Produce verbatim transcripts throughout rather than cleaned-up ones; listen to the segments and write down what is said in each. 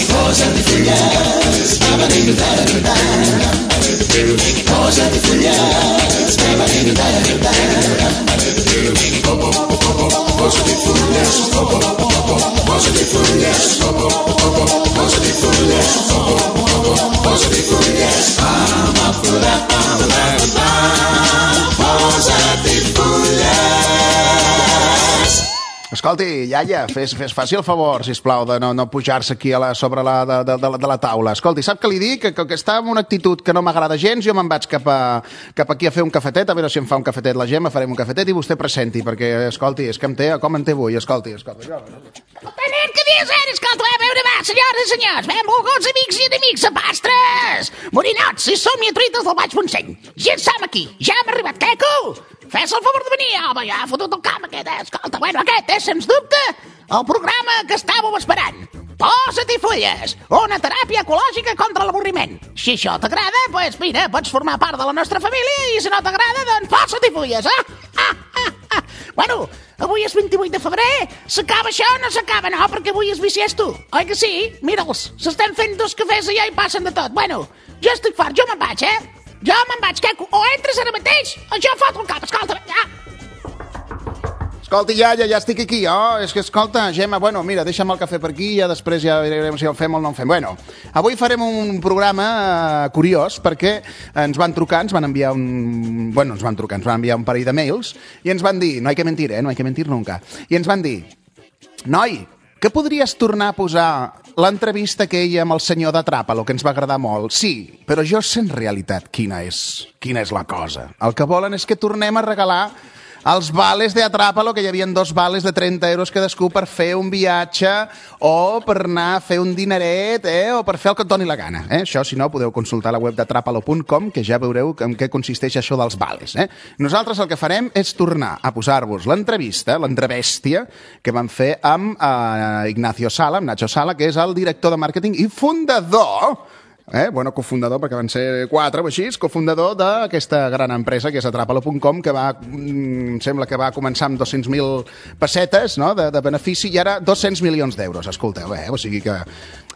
Posati fulles, posati fulles, posati fulles, posati fulles, posati fulles, posati fulles, ama pura, ama posati fulles. Escolti, iaia, fes, fes faci el favor, sisplau, de no, no pujar-se aquí a la, sobre la, de, de, de, la, de la taula. Escolti, sap què li dic? Que, que, que està amb una actitud que no m'agrada gens, jo me'n vaig cap, a, cap aquí a fer un cafetet, a veure si em fa un cafetet la Gemma, farem un cafetet i vostè presenti, perquè, escolti, és que em té, com em té avui, escolti, escolti. Tenent, que dies eres? Escolta, a veure, va, senyores i senyors, benvolguts amics i enemics a pastres, morinots i somniatrites del Baix Montseny. Ja som aquí, ja hem arribat, Queco! Fes el favor de venir, home, ja ha fotut el camp aquest, eh? Escolta, bueno, aquest és, sens dubte, el programa que estàveu esperant. Posa-t'hi fulles, una teràpia ecològica contra l'avorriment. Si això t'agrada, doncs mira, pots formar part de la nostra família i si no t'agrada, doncs posa-t'hi fulles, eh? Ah, ah, ah. Bueno, avui és vint-i-vuit de febrer, s'acaba això o no s'acaba, no? Perquè avui és bisiesto, oi que sí? Mira'ls, s'estan fent dos cafès allà i passen de tot. Bueno, jo estic fart, jo me'n vaig, eh? Jo me'n vaig, Queco, o entres ara mateix o jo foto el cap, escolta, ja. Escolti, ja, ja, ja estic aquí, oh, és que, escolta, Gemma, bueno, mira, deixa'm el cafè per aquí i ja després ja veurem si el fem o no el fem. Bueno, avui farem un programa uh, curiós perquè ens van trucar, ens van enviar un... Bueno, ens van trucar, ens van enviar un parell de mails i ens van dir, no hay que mentir, eh, no hay que mentir nunca, i ens van dir, noi, que podries tornar a posar l'entrevista aquella amb el senyor de Tràpalo, que ens va agradar molt? Sí, però jo sé en realitat quina és, quina és la cosa. El que volen és que tornem a regalar els vales de Atrápalo, que hi havia dos vales de trenta euros cadascú per fer un viatge o per anar a fer un dineret, eh? O per fer el que et doni la gana. Eh? Això, si no, podeu consultar la web de Atrápalo punt com, que ja veureu en què consisteix això dels vales. Eh? Nosaltres el que farem és tornar a posar-vos l'entrevista, l'entrevèstia, que vam fer amb eh, Ignacio Sala, amb Nacho Sala, que és el director de màrqueting i fundador... Eh? Bueno, cofundador, perquè van ser quatre o així, cofundador d'aquesta gran empresa que és Atrápalo punt com, que va, em sembla que va començar amb dos-cents mil pessetes, no?, de, de benefici, i ara dos-cents milions d'euros, escolteu, eh? O sigui que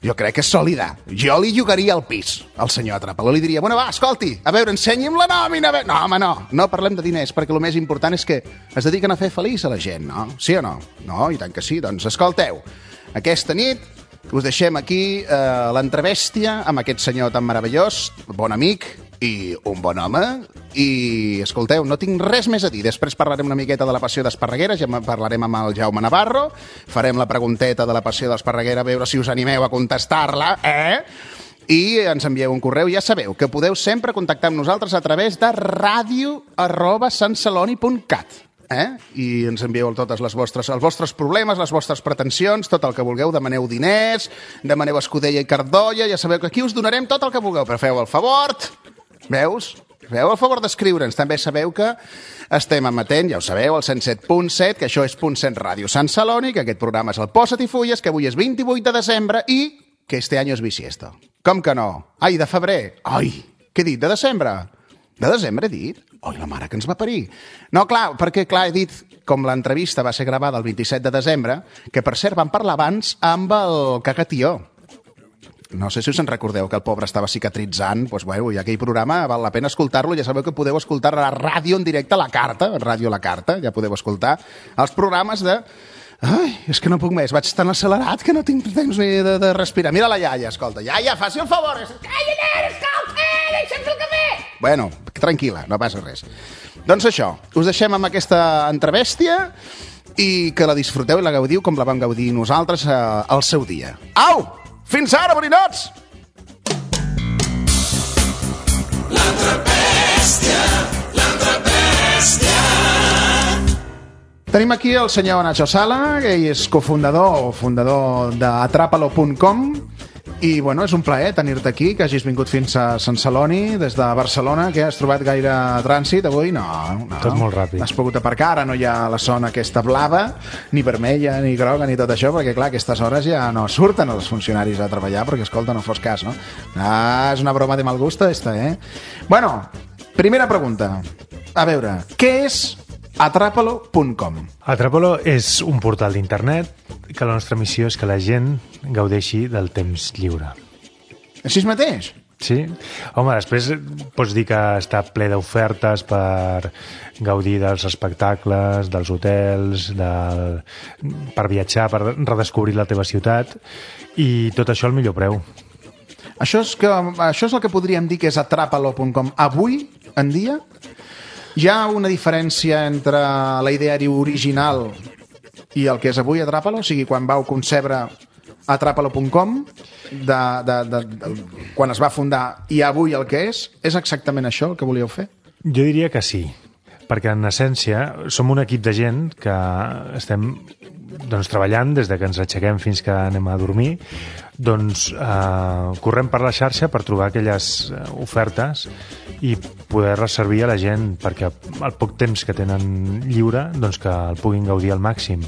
jo crec que és sòlida. Jo li llogaria el pis al senyor Atrápalo, li diria, bueno, va, escolti, a veure, ensenyi'm la nòmina, a veure... No, home, no, no parlem de diners, perquè el més important és que es dediquen a fer feliç a la gent, no? Sí o no? No, i tant que sí, doncs escolteu, aquesta nit us deixem aquí eh, l'entrevèstia amb aquest senyor tan meravellós, bon amic i un bon home. I, escolteu, no tinc res més a dir. Després parlarem una miqueta de la passió d'Esparreguera, ja parlarem amb el Jaume Navarro, farem la pregunteta de la passió d'Esparreguera, a veure si us animeu a contestar-la, eh? I ens envieu un correu. Ja sabeu que podeu sempre contactar amb nosaltres a través de ràdio arroba santceloni punt cat. Eh? I ens envieu totes les vostres, els vostres problemes, les vostres pretensions, tot el que vulgueu, demaneu diners, demaneu escudella i cardolla, ja sabeu que aquí us donarem tot el que vulgueu, però feu el favor, veus? Feu el favor d'escriure'ns. També sabeu que estem emetent, ja ho sabeu, el cent set punt set, que això és punt set Ràdio Sant Celoni, que aquest programa és el Posa't i Fulles, que avui és vint-i-vuit de desembre i que este any és bisiesto. Com que no? Ai, de febrer. Ai, què he dit, de desembre? De desembre he dit? Oi, la mare que ens va parir. No, clar, perquè, clar, he dit, com l'entrevista va ser gravada el vint-i-set de desembre, que, per cert, vam parlar abans amb el Cagatió. No sé si us en recordeu, que el pobre estava cicatritzant. Doncs, bueno, i aquell programa val la pena escoltar-lo. Ja sabeu que podeu escoltar a la ràdio en directe, a la carta, a Ràdio La Carta, ja podeu escoltar els programes de... Ai, és que no puc més, vaig tan accelerat que no tinc temps ni de, de respirar. Mira la iaia, escolta. Iaia, faci el favor. Calla, nen, escolta, deixa'm fer el cafè. Bueno, tranquil·la, no passa res. Doncs això, us deixem amb aquesta entrevèstia i que la disfruteu i la gaudiu com la vam gaudir nosaltres eh, al seu dia. Au! Fins ara, borinots! L'entrevèstia, l'entrevèstia. Tenim aquí el senyor Nacho Sala, que ell és cofundador o fundador d'Atrápalo punt com I, bueno, és un plaer tenir-te aquí, que hagis vingut fins a Sant Celoni, des de Barcelona, que has trobat gaire trànsit avui? No, no. Tot molt ràpid. Has pogut aparcar, ara no hi ha la zona aquesta blava, ni vermella, ni groga, ni tot això, perquè, clar, a aquestes hores ja no surten els funcionaris a treballar, perquè, escolta, no fos cas, no? Ah, és una broma de mal gusto, esta, eh? Bueno, primera pregunta. A veure, què és Atrapalo punt com? Atrapalo és un portal d'internet que la nostra missió és que la gent gaudeixi del temps lliure. Així mateix? Sí? Home, després pots dir que està ple d'ofertes per gaudir dels espectacles, dels hotels, del... per viatjar, per redescobrir la teva ciutat, i tot això al millor preu. Això és, que, això és el que podríem dir que és Atrapalo punt com. Avui en dia hi ha una diferència entre la ideari original i el que és avui Atrapalo? O sigui, quan vau concebre Atrapalo punt com, de, de, de, de, quan es va fundar, i avui el que és, és exactament això el que volíeu fer? Jo diria que sí, perquè en essència som un equip de gent que estem doncs, treballant des de que ens aixequem fins que anem a dormir, doncs eh, correm per la xarxa per trobar aquelles ofertes i poder-les servir a la gent perquè el poc temps que tenen lliure doncs que el puguin gaudir al màxim.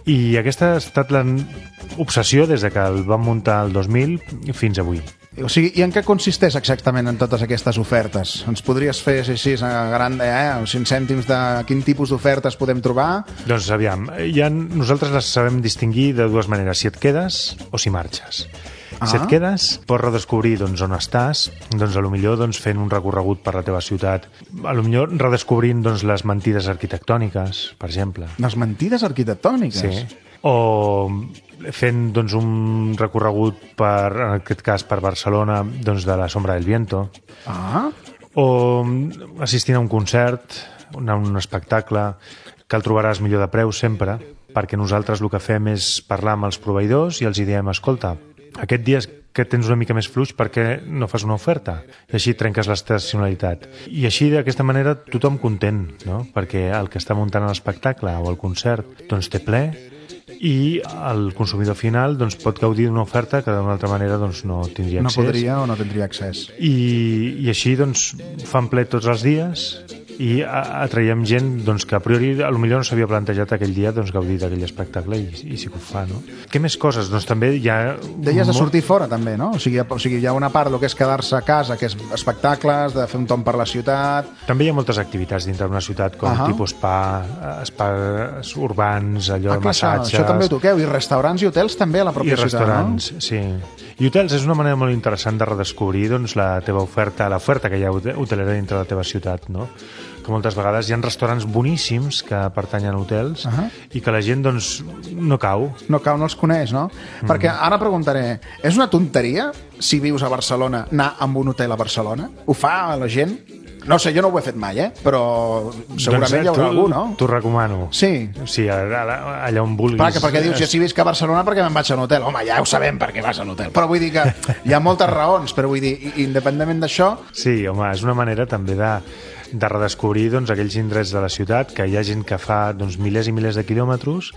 I aquesta ha estat l'obsessió des de que el vam muntar el dos mil fins avui. O sigui, i en què consisteix exactament en totes aquestes ofertes? Ens podries fer així, a gran, eh, cinc cèntims de quin tipus d'ofertes podem trobar? Doncs aviam, ja nosaltres les sabem distingir de dues maneres, si et quedes o si marxes. Ah. Si et quedes, pots redescobrir doncs, on estàs, doncs, a lo millor doncs, fent un recorregut per la teva ciutat, a lo millor redescobrint doncs, les mentides arquitectòniques, per exemple. Les mentides arquitectòniques? Sí. O fent doncs, un recorregut, per, en aquest cas per Barcelona, doncs, de la Sombra del Viento. Ah. O assistint a un concert, a un espectacle, que el trobaràs millor de preu sempre, perquè nosaltres el que fem és parlar amb els proveïdors i els diem, escolta, aquest dia que tens una mica més fluix, per què no fas una oferta? I així trenques l'estacionalitat. I així, d'aquesta manera, tothom content, no? Perquè el que està muntant l'espectacle o el concert doncs té ple, i el consumidor final doncs, pot gaudir d'una oferta que d'una altra manera doncs, no tindria accés. No podria o no tindria accés. I, i així doncs, fan ple tots els dies i atraiem gent doncs, que a priori a lo millor no s'havia plantejat aquell dia doncs, gaudir d'aquell espectacle i, i sí que ho fa, no? Què més coses? Doncs també hi ha... Deies de sortir fora també, no? O sigui, o sigui, hi ha una part del que és quedar-se a casa, que és espectacles, de fer un tomb per la ciutat... També hi ha moltes activitats dintre d'una ciutat com uh-huh. tipus spa, spas urbans, allò, ah, massatges... Això, això també ho toqueu, i restaurants i hotels també a la pròpia I ciutat, restaurants, no? sí. I hotels és una manera molt interessant de redescobrir doncs, la teva oferta, l'oferta que hi ha hotelera dintre de la teva ciutat, no? Que moltes vegades hi ha restaurants boníssims que pertanyen a hotels uh-huh. i que la gent doncs no cau. No cau, no els coneix, no? Mm. Perquè ara preguntaré, és una tonteria si vius a Barcelona anar amb un hotel a Barcelona? Ho fa la gent? No sé, jo no ho he fet mai, eh? Però segurament doncs, hi haurà algú, no? T'ho recomano. Sí. Sí, allà, allà on vulguis. Perquè, perquè dius, ja si visc a Barcelona, perquè me'n vaig a un hotel? Home, ja ho sabem perquè vas a un hotel. Però vull dir que hi ha moltes raons, però vull dir, independentment d'això... Sí, home, és una manera també de... de redescobrir doncs, aquells indrets de la ciutat que hi ha gent que fa doncs, milers i milers de quilòmetres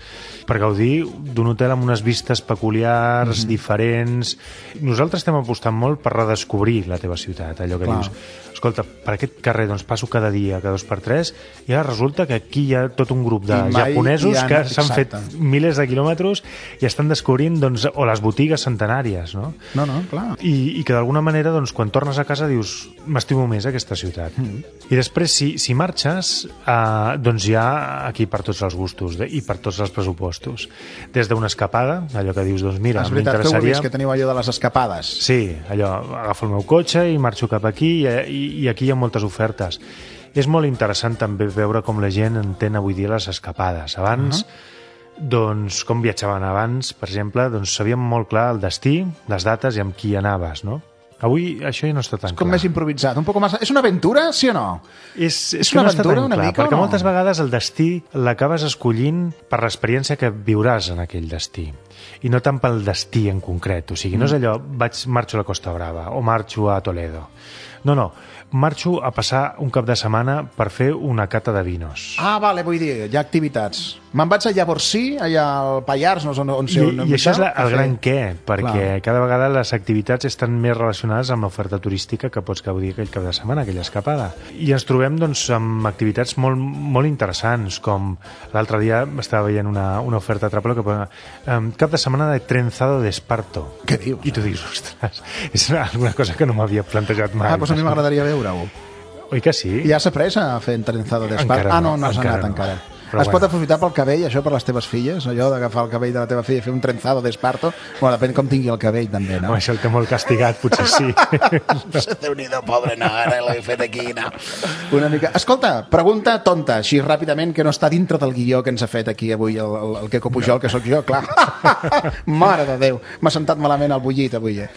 per gaudir d'un hotel amb unes vistes peculiars, mm-hmm. diferents. Nosaltres estem apostant molt per redescobrir la teva ciutat, allò que Clar. dius, escolta, per aquest carrer doncs, passo cada dia, cada dos per tres, i ara resulta que aquí hi ha tot un grup de japonesos ha... que s'han fet milers de quilòmetres i estan descobrint, doncs, o les botigues centenàries, no? No, no, clar. I, i que d'alguna manera, doncs, quan tornes a casa dius, m'estimo més aquesta ciutat. Mm-hmm. I després, si, si marxes, eh, doncs hi ha aquí per tots els gustos de, i per tots els pressupostos. Des d'una escapada, allò que dius, doncs mira, m'interessaria... És veritat, tu ho vist, que teniu allò de les escapades. Sí, allò, agafo el meu cotxe i marxo cap aquí i, i, i aquí hi ha moltes ofertes. És molt interessant també veure com la gent entén avui dia les escapades. Abans, uh-huh. doncs, com viatjaven abans, per exemple, doncs sabíem molt clar el destí, les dates i amb qui anaves, no? Avui això ja no està tan clar. És com clar. Més improvisat, un poc més... És una aventura, sí o no? És, és, és que una no aventura està una clar, mica perquè o no? moltes vegades el destí l'acabes escollint per l'experiència que viuràs en aquell destí i no tant pel destí en concret. O sigui, mm. no és allò, vaig, marxo a la Costa Brava o marxo a Toledo. No, no, marxo a passar un cap de setmana per fer una cata de vinos. Ah, vale, vull dir, hi ha activitats. Me'n vaig a Llavorsí, allà al Pallars, no sé on, on sé I, on I això és la, el fer... gran què, perquè Clar. cada vegada les activitats estan més relacionades amb l'oferta turística que pots gaudir aquell cap de setmana, aquella escapada. I ens trobem doncs, amb activitats molt, molt interessants, com l'altre dia estava veient una, una oferta a Trapalo que posa um, cap de setmana de trenzado de esparto. Què dius? I tu dius, ostres, és alguna cosa que no m'havia plantejat mai. Ah, doncs a mi m'agradaria veure-ho. Oi que sí? Ja s'ha pres a fer trenzado d'esparto? Encara Ah, no, no, no has encara anat no. encara. Però es bueno. pot aprofitar pel cabell, això, per les teves filles? Allò d'agafar el cabell de la teva filla i fer un trenzado d'esparto? Bueno, depèn com tingui el cabell, també, no? Home, això el té molt castigat, potser sí. Déu-n'hi-do, pobre, no, ara l'he fet aquí, no. Una mica... Escolta, pregunta tonta, així ràpidament, que no està dintre del guió que ens ha fet aquí avui el, el, el Queco Pujol, que sóc jo, clar. Mare de Déu, m'ha sentat malament el bullit avui, eh?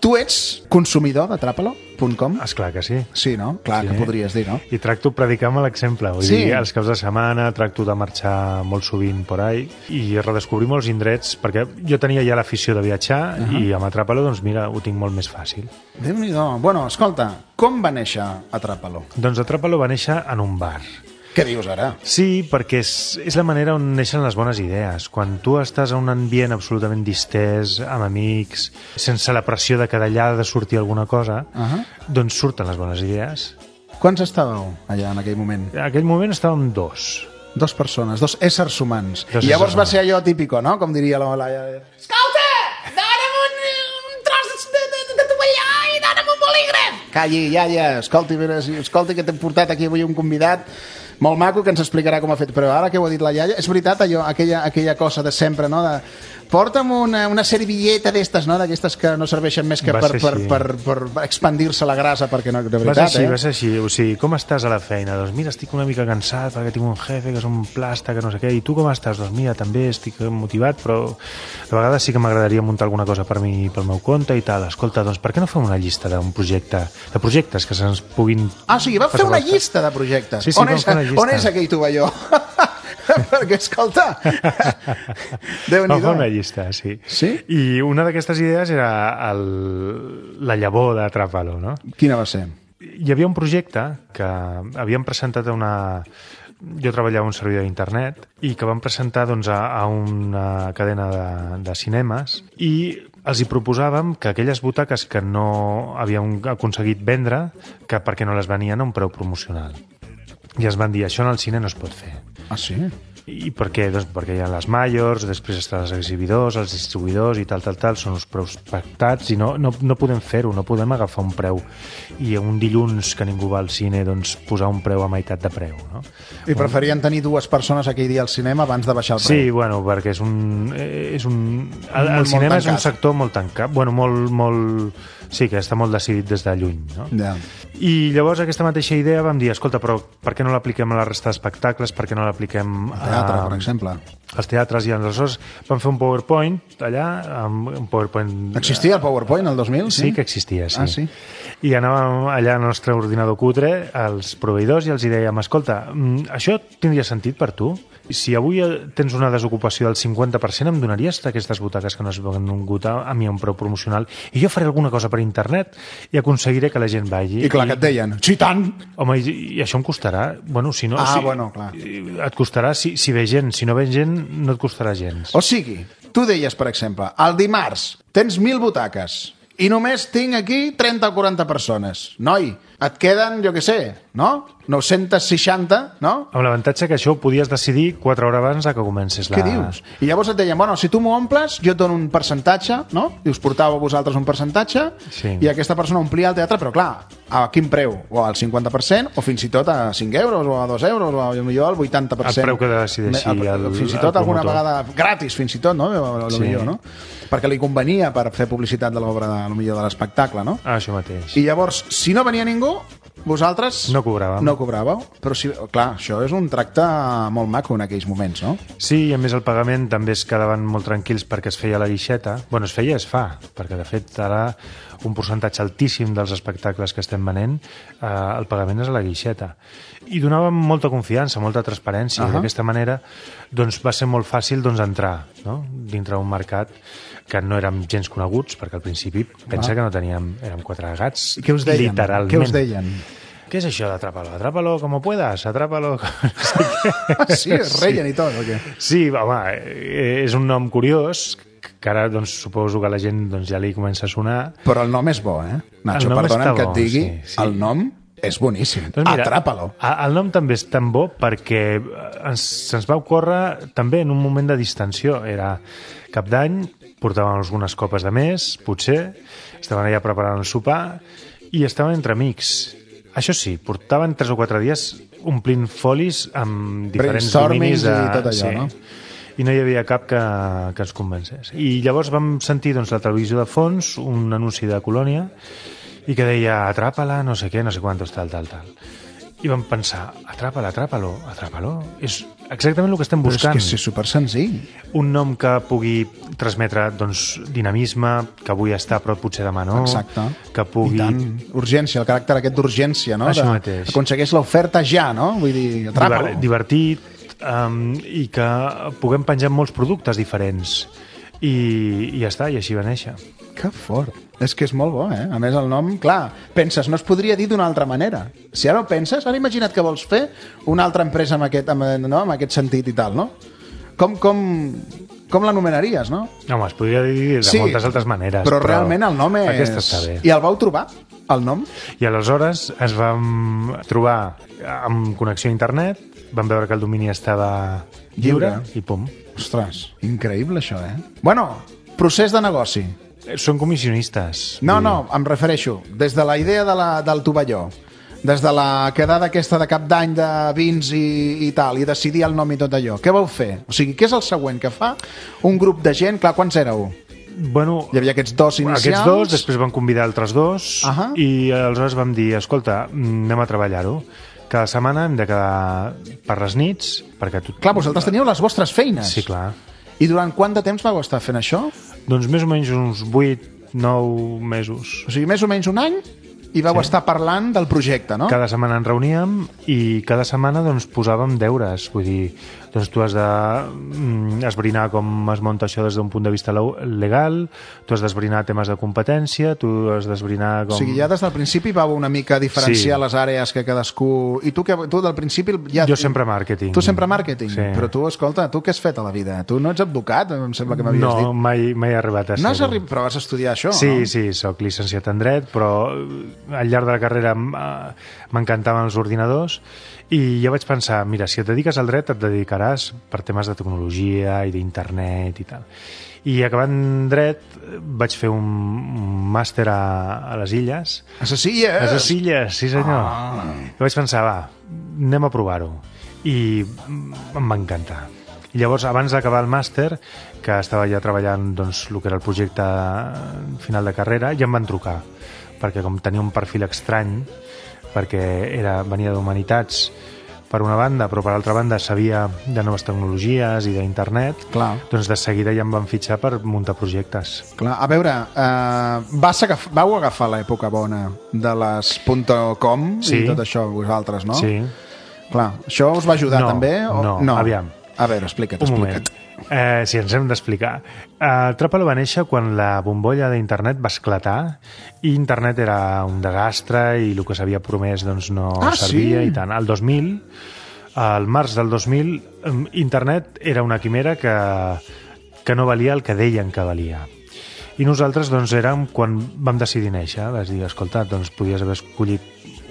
Tu ets consumidor de Trapalo punt com? Esclar que sí. Sí, no? Clar, Sí. que podries dir, no? I tracto predicar amb l'exemple. Vull Sí. dir, els caps de setmana tracto de marxar molt sovint por ahí i redescobrir molts indrets, perquè jo tenia ja l'afició de viatjar uh -huh. i amb Atrapalo, doncs mira, ho tinc molt més fàcil. Déu-n'hi-do. Bueno, escolta, com va néixer Atrapalo? Doncs Atrapalo va néixer en un bar. Què dius ara? Sí, perquè és, és la manera on neixen les bones idees. Quan tu estàs a un ambient absolutament distès, amb amics, sense la pressió de que d'allà ha de sortir alguna cosa, Uh -huh. doncs surten les bones idees. Quants estàveu allà en aquell moment? En aquell moment estàvem dos. Dos persones, dos éssers humans. Dos I llavors éssers va ser allò típico, no? Com diria la Laia. Escolta, dona'm un, un tros de, de, de tovallà i dona'm un bolígraf. Calli, iaia, escolti, veres, escolti que t'hem portat aquí avui un convidat molt maco que ens explicarà com ha fet. Però ara que ho ha dit la iaia, és veritat allò, aquella, aquella cosa de sempre, no? De, porta'm una, una servilleta d'estes, no? D'aquestes que no serveixen més que Va per, ser per, així. per, per expandir-se la grasa, perquè no, de Va ser veritat, així, eh? va ser així. O sigui, com estàs a la feina? Doncs mira, estic una mica cansat perquè tinc un jefe que és un plasta, que no sé què. I tu com estàs? Doncs mira, també estic motivat, però de vegades sí que m'agradaria muntar alguna cosa per mi, pel meu compte i tal. Escolta, doncs per què no fem una llista d'un projecte, de projectes que se'ns puguin... Ah, o sigui, va fer una llista de projectes. Sí, sí, on, vam és, fer una llista. on és aquell tovalló? Perquè, escolta, Déu-n'hi-do. Vam fer una llista, sí. Sí? I una d'aquestes idees era el, la llavor de Trapalo, no? Quina va ser? Hi havia un projecte que havíem presentat a una... Jo treballava a un servidor d'internet i que vam presentar doncs, a, a una cadena de, de cinemes i els hi proposàvem que aquelles butaques que no havíem aconseguit vendre, que perquè no les venien a un preu promocional. I ens van dir, això en el cine no es pot fer. Ah, sí? I per què? Doncs perquè hi ha les majors, després estan els exhibidors, els distribuïdors i tal, tal, tal, són els preus pactats i no, no, no podem fer-ho, no podem agafar un preu i un dilluns que ningú va al cine doncs posar un preu a meitat de preu, no? I preferien tenir dues persones aquell dia al cinema abans de baixar el preu. Sí, bueno, perquè és un... És un el, el Molt, cinema molt és un tancat. sector molt tancat, bueno, molt, molt... Sí, que està molt decidit des de lluny, no? Ja. I llavors aquesta mateixa idea vam dir, escolta, però per què no l'apliquem a la resta d'espectacles, per què no l'apliquem El teatre, a... per exemple. als teatres, i aleshores vam fer un PowerPoint allà, amb un PowerPoint... Existia el PowerPoint el dos mil? Sí, sí que existia, sí. Ah, sí? I anàvem allà al nostre ordinador cutre, als proveïdors, i els hi dèiem, escolta, mm, això tindria sentit per tu? Si avui tens una desocupació del cinquanta per cent, em donaries aquestes butaques que no has vengut a, a mi a un preu promocional i jo faré alguna cosa per internet i aconseguiré que la gent vagi. I clar, que et deien, sí, tant! Home, i, i això em costarà? Bueno, si no... Ah, si, bueno, clar. Et costarà si, si ve gent. Si no ve gent, no et costarà gens. O sigui, tu deies, per exemple, el dimarts tens mil butaques i només tinc aquí trenta o quaranta persones. Noi, et queden, jo què sé, no? nou-cents seixanta, no? Amb l'avantatge que això ho podies decidir quatre hores abans de que comences la... Què dius? I llavors et deien, bueno, si tu m'ho omples, jo et dono un percentatge, no? I us portàveu vosaltres un percentatge, Sí. i aquesta persona omplia el teatre, però clar, a quin preu? O al cinquanta per cent, o fins i tot a cinc euros, o a dos euros, o a, millor al vuitanta per cent. El preu que decideixi El- el- Fins i el tot alguna promotor. vegada gratis, fins i tot, no? A lo Sí. millor, no? Perquè li convenia per fer publicitat de l'obra, a lo millor de l'espectacle, no? Ah, això mateix. I llavors, si no venia ningú, vosaltres... No cobràvem. No cobràveu. Però, si, clar, això és un tracte molt maco en aquells moments, no? Sí, i a més el pagament també es quedaven molt tranquils perquè es feia a la guixeta. Bueno, es feia i es fa, perquè de fet ara un percentatge altíssim dels espectacles que estem venent, eh, el pagament és a la guixeta. I donàvem molta confiança, molta transparència, uh -huh. i d'aquesta manera doncs, va ser molt fàcil doncs, entrar, no? Dintre d'un mercat que no érem gens coneguts, perquè al principi pensa que no teníem... Érem quatre gats, I què us deien? literalment. Què us deien? què és això d'Atrapalo? Atrapalo como puedas, Atrapalo... Sí, es reien i tot, o què? Sí, home, és un nom curiós, que ara doncs, suposo que la gent doncs, ja li comença a sonar. Però el nom és bo, eh? Nacho, El nom perdona'm està que et bo, digui, sí, sí. el nom és boníssim. Doncs mira, Atrapalo. El nom també és tan bo perquè ens, se'ns va ocórrer també en un moment de distensió. Era cap d'any, portàvem algunes copes de més, potser, estaven allà preparant el sopar i estaven entre amics. Això sí, portaven tres o quatre dies omplint folis amb diferents Brainstormings dominis de... i tot allò, no? I no hi havia cap que, que ens convencés. I llavors vam sentir doncs, la televisió de fons, un anunci de Colònia, i que deia, atrapa-la, no sé què, no sé quantos, tal, tal, tal. I vam pensar, atrapa-la, atrapa-lo, atrapa-lo. És exactament el que estem buscant. Però és que és super senzill. Un nom que pugui transmetre doncs, dinamisme, que avui està però potser demà no. Exacte. Que pugui... I tant, urgència, el caràcter aquest d'urgència, no? Això De- mateix. Aconsegueix l'oferta ja, no? Vull dir, atrapa-lo. Diver- divertit, um, i que puguem penjar molts productes diferents. I, i ja està, i així va néixer. Que fort. És que és molt bo, eh? A més, el nom, clar, penses, no es podria dir d'una altra manera. Si ara ho penses, ara imagina't que vols fer una altra empresa amb aquest, amb, no? amb aquest sentit i tal, no? Com, com, com l'anomenaries, no? Home, es podria dir de Sí, moltes altres maneres. Però, realment el nom és... Aquesta està bé. I el vau trobar, el nom? I aleshores ens vam trobar amb connexió a internet, vam veure que el domini estava lliure, Lliure. i pum. Ostres, increïble això, eh? Bueno, procés de negoci. Són comissionistes. No, Vull dir, no, em refereixo. Des de la idea de la, del tovalló, des de la quedada aquesta de cap d'any de vins i, i tal, i decidir el nom i tot allò. Què vau fer? O sigui, què és el següent que fa un grup de gent? Clar, quants éreu? Bueno, Hi havia aquests dos inicials. aquests dos, després van convidar altres dos, Ahà. i aleshores vam dir, escolta, anem a treballar-ho. Cada setmana hem de quedar per les nits, perquè tu... Clar, vosaltres teníeu les vostres feines. Sí, clar. I durant quant de temps vau estar fent això? Doncs més o menys uns vuit, nou mesos. O sigui, més o menys un any i vau Sí. estar parlant del projecte, no? Cada setmana ens reuníem i cada setmana doncs, posàvem deures. Vull dir, doncs tu has de mm, esbrinar com es munta això des d'un punt de vista lau- legal, tu has d'esbrinar temes de competència, tu has d'esbrinar com... O sigui, ja des del principi vau una mica diferenciar Sí. les àrees que cadascú... I tu, que, tu del principi... Ja... Jo sempre màrqueting. Tu sempre màrqueting? Sí. Però tu, escolta, tu què has fet a la vida? Tu no ets advocat, em sembla que m'havies No, dit. mai, mai he arribat a No has ser-ho. arribat, però vas estudiar això, Sí, no? sí, sóc llicenciat en dret, però eh, al llarg de la carrera m- eh, m'encantaven els ordinadors i ja vaig pensar, mira, si et dediques al dret et dedicaràs per temes de tecnologia i d'internet i tal. I acabant dret eh, vaig fer un, un màster a, a les Illes. A les Illes? A les Illes, sí senyor. Ah. I vaig pensar, va, anem a provar-ho. I mm, em va encantar. I llavors, abans d'acabar el màster, que estava ja treballant doncs, el que era el projecte final de carrera, ja em van trucar, perquè com tenia un perfil estrany, perquè era, venia d'Humanitats per una banda, però per altra banda sabia de noves tecnologies i d'internet, Clar. doncs de seguida ja em van fitxar per muntar projectes. Clar, a veure, eh, vas agaf vau agafar l'època bona de les .com Sí. i tot això, vosaltres, no? Sí. Clar, això us va ajudar No, també? O... no, aviam. A veure, explica't, Un moment. explica't. Eh, sí, ens hem d'explicar. Uh, Trapalo va néixer quan la bombolla d'internet va esclatar i internet era un desastre i el que s'havia promès doncs, no Ah, servia sí? i tant. Al dos mil, al març del dos mil, em, internet era una quimera que, que no valia el que deien que valia. I nosaltres doncs, érem quan vam decidir néixer. Vas dir, escolta, doncs podies haver escollit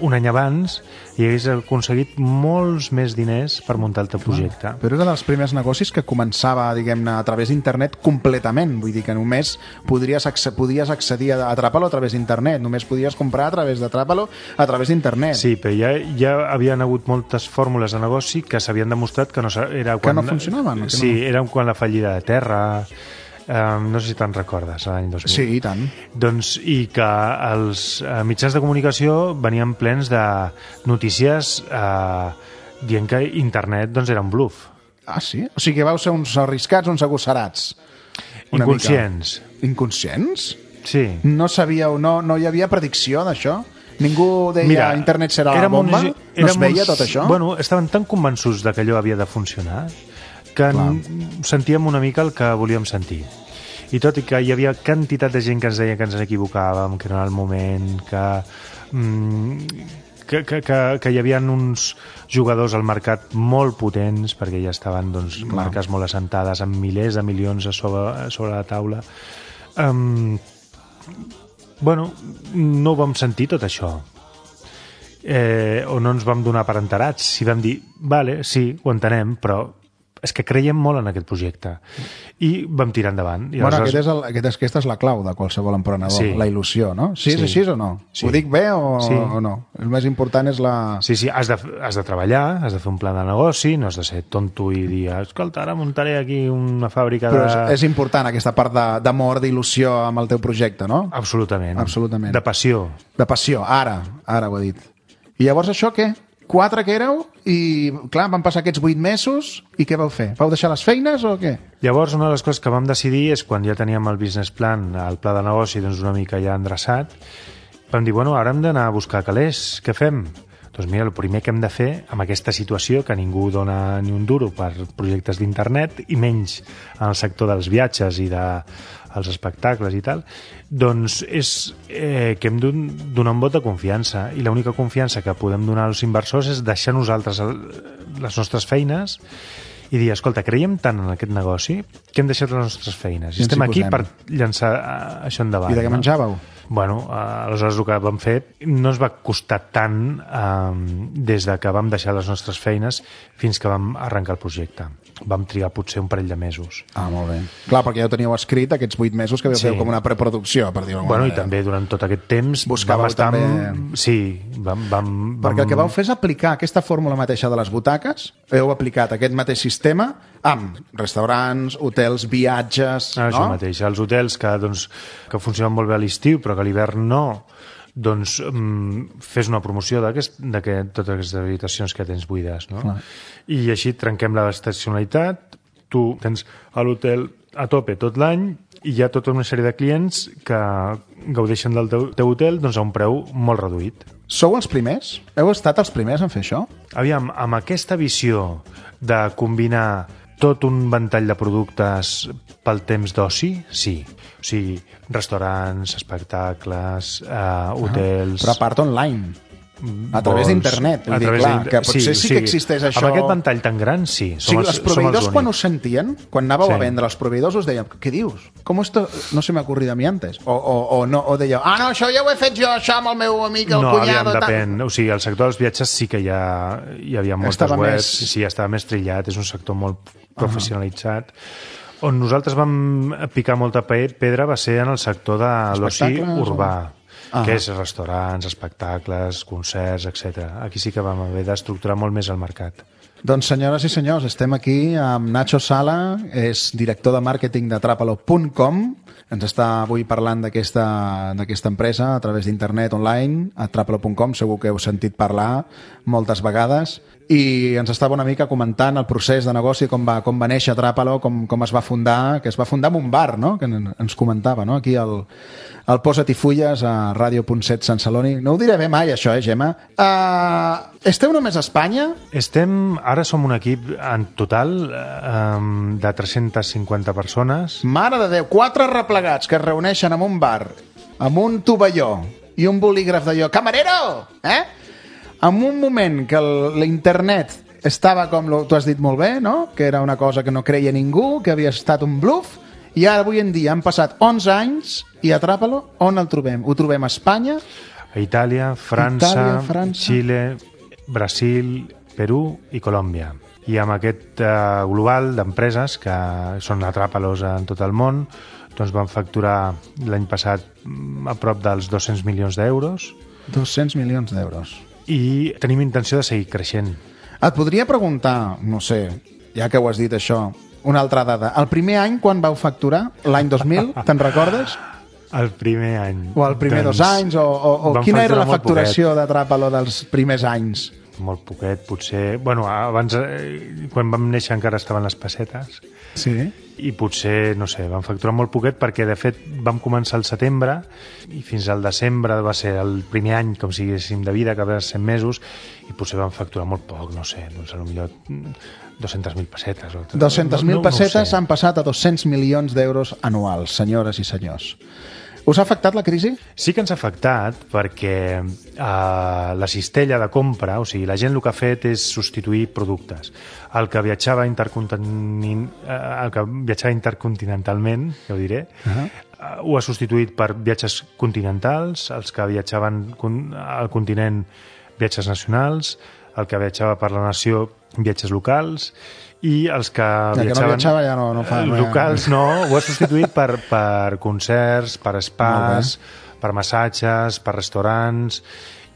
un any abans i hagués aconseguit molts més diners per muntar el teu projecte. Però era dels primers negocis que començava, diguem-ne, a través d'internet completament. Vull dir que només podries, acce podies accedir a Atrapalo a través d'internet. Només podies comprar a través d'Atrapalo a través d'internet. Sí, però ja, ja havien hagut moltes fórmules de negoci que s'havien demostrat que no, sa- era quan, no funcionaven, que Sí, no- era quan la fallida de terra... Um, no sé si te'n recordes, l'any dos mil. Sí, i tant. Doncs, i que els eh, mitjans de comunicació venien plens de notícies eh, dient que internet doncs, era un bluff. Ah, sí? O sigui que vau ser uns arriscats, uns agosarats. Una Inconscients. mica. Inconscients? Sí. No sabíeu, no, no hi havia predicció d'això? Ningú deia Mira, internet serà la érem bomba? uns- No es érem veia uns- tot això? Bueno, estaven tan convençuts de que allò havia de funcionar que n- sentíem una mica el que volíem sentir. I tot i que hi havia quantitat de gent que ens deia que ens equivocàvem, que no era el moment, que, mm, que, que, que, que hi havia uns jugadors al mercat molt potents, perquè ja estaven doncs, marques molt assentades amb milers de milions a sobre, a sobre la taula. Um, bueno, no ho vam sentir tot això. Eh, o no ens vam donar per enterats. Si vam dir, vale, sí, ho entenem, però és que creiem molt en aquest projecte i vam tirar endavant. I bueno, aleshores... aquest és el, aquest és, aquesta és la clau de qualsevol emprenedor, Sí. la il·lusió, no? Sí, és Sí. així o no? Sí. Ho dic bé o, Sí. o no? El més important és la... Sí, sí, has de, has de treballar, has de fer un pla de negoci, no has de ser tonto i dir, escolta, ara muntaré aquí una fàbrica Però de... és, és important aquesta part de- d'amor, d'il·lusió amb el teu projecte, no? Absolutament. Absolutament. De passió. De passió, ara, ara ho he dit. I llavors això què? Quatre que éreu i, clar, van passar aquests vuit mesos i què vau fer? Vau deixar les feines o què? Llavors, una de les coses que vam decidir és quan ja teníem el business plan, el pla de negoci, doncs una mica ja endreçat, vam dir, bueno, ara hem d'anar a buscar calés, què fem? Doncs mira, el primer que hem de fer amb aquesta situació, que ningú dona ni un duro per projectes d'internet i menys en el sector dels viatges i de els espectacles i tal, doncs és eh, que hem de donar un vot de confiança i l'única confiança que podem donar als inversors és deixar nosaltres el, les nostres feines i dir, escolta, creiem tant en aquest negoci que hem deixat les nostres feines i I ens estem hi aquí posem. per llançar eh, això endavant. I de què no? menjàveu? Bueno, eh, aleshores el que vam fer no ens va costar tant eh, des de que vam deixar les nostres feines fins que vam arrencar el projecte. Vam trigar potser un parell de mesos. Ah, molt bé. Clar, perquè ja ho teníeu escrit aquests vuit mesos que vau Sí. fer com una preproducció, per dir-ho d'alguna Bueno, i manera. també durant tot aquest temps Buscàveu vam estar... també- Amb... Sí, vam... vam, vam... Perquè el que vau fer és aplicar aquesta fórmula mateixa de les butaques, heu aplicat aquest mateix sistema amb restaurants, hotels, viatges... Ah, això no? mateix. Els hotels que, doncs, que funcionen molt bé a l'estiu, però que a l'hivern no, doncs mm, fes una promoció d'aquest, d'aquest, totes aquestes habitacions que tens buides, no? Clar. I així trenquem la estacionalitat, tu tens a l'hotel a tope tot l'any i hi ha tota una sèrie de clients que gaudeixen del teu, teu hotel doncs, a un preu molt reduït. Sou els primers? Heu estat els primers en fer això? Aviam, amb aquesta visió de combinar tot un ventall de productes pel temps d'oci, sí. O sigui, restaurants, espectacles, eh, hotels... Però a part online. A través vols, d'internet. Vull a dir, través clar, d'inter- que potser sí, o sigui, que existeix això... Amb aquest ventall tan gran, sí. O sigui, els- els proveïdors, els quan us únics. sentien, quan anàveu Sí. a vendre els proveïdors, us deien, què dius? Com esto no se m'ha ocurrit a mi antes? O, o, o, no, o dèieu, ah, no, això ja ho he fet jo, això amb el meu amic, el No, aviam, cunyado... tal. depèn. O sigui, el sector dels viatges sí que hi, ha, hi havia moltes Estava webs, més- sí, estava més trillat, és un sector molt professionalitzat. On nosaltres vam picar molta pe- pedra va ser en el sector de l'oci Espectacles o- urbà, Ah. que és restaurants, espectacles, concerts, etcètera. Aquí sí que vam haver d'estructurar molt més el mercat. Doncs senyores i senyors, estem aquí amb Nacho Sala, és director de màrqueting de Trapalo punt com, ens està avui parlant d'aquesta d'aquesta empresa a través d'internet online, a Trapalo punt com, segur que heu sentit parlar moltes vegades, i ens estava una mica comentant el procés de negoci, com va, com va néixer Trapalo, com, com es va fundar, que es va fundar en un bar, no?, que en- ens comentava, no?, aquí al, al Posa't i Fulles, a Ràdio punt set Sant Celoni. No ho diré bé mai, això, eh, Gemma? Uh, esteu només a Espanya? Estem, ara som un equip en total eh, de tres-centes cinquanta persones. Mare de Déu, quatre replegats que es reuneixen en un bar amb un tovalló i un bolígraf d'allò. Camarero! Eh? En un moment que el- l'internet estava com, lo- tu has dit molt bé, no?, que era una cosa que no creia ningú, que havia estat un bluff, i ara avui en dia han passat onze anys i a Trapalo, on el trobem? Ho trobem a Espanya? A Itàlia, França, Itàlia, França. Xile, Brasil, Perú i Colòmbia. I amb aquest eh, global d'empreses que són atràpalos en tot el món, doncs van facturar l'any passat mm, a prop dels dos-cents milions d'euros dos-cents milions d'euros. i tenim intenció de seguir creixent. Et podria preguntar, no sé, ja que ho has dit això, una altra dada. El primer any, quan vau facturar? L'any dos mil, te'n recordes? El primer any. O el primer doncs, dos anys? O, o, o vam quina era la facturar molt facturació de Trapalo dels primers anys? Molt poquet, potser... Bueno, abans, eh, quan vam néixer encara estaven les pessetes, Sí. i potser, no sé, vam facturar molt poquet perquè, de fet, vam començar al setembre i fins al desembre va ser el primer any, com si diguéssim, de vida, que va ser cent mesos, i potser vam facturar molt poc, no sé, doncs potser dos-centes mil pessetes. O... dos-centes mil No- no- no ho pessetes sé. han passat a dos-cents milions d'euros anuals, senyores i senyors. Us ha afectat la crisi? Sí que ens ha afectat perquè eh, la cistella de compra, o sigui, la gent el que ha fet és substituir productes. El que viatjava, intercontin... eh, el que viatjava intercontinentalment, ja ho diré, uh-huh. eh, ho ha substituït per viatges continentals, els que viatjaven al continent, viatges nacionals, el que viatjava per la nació, viatges locals, i els que ja viatjaven... que no viatjava ja no, no fa... Locals no, ho ha substituït per, per concerts, per spas, per massatges, per restaurants,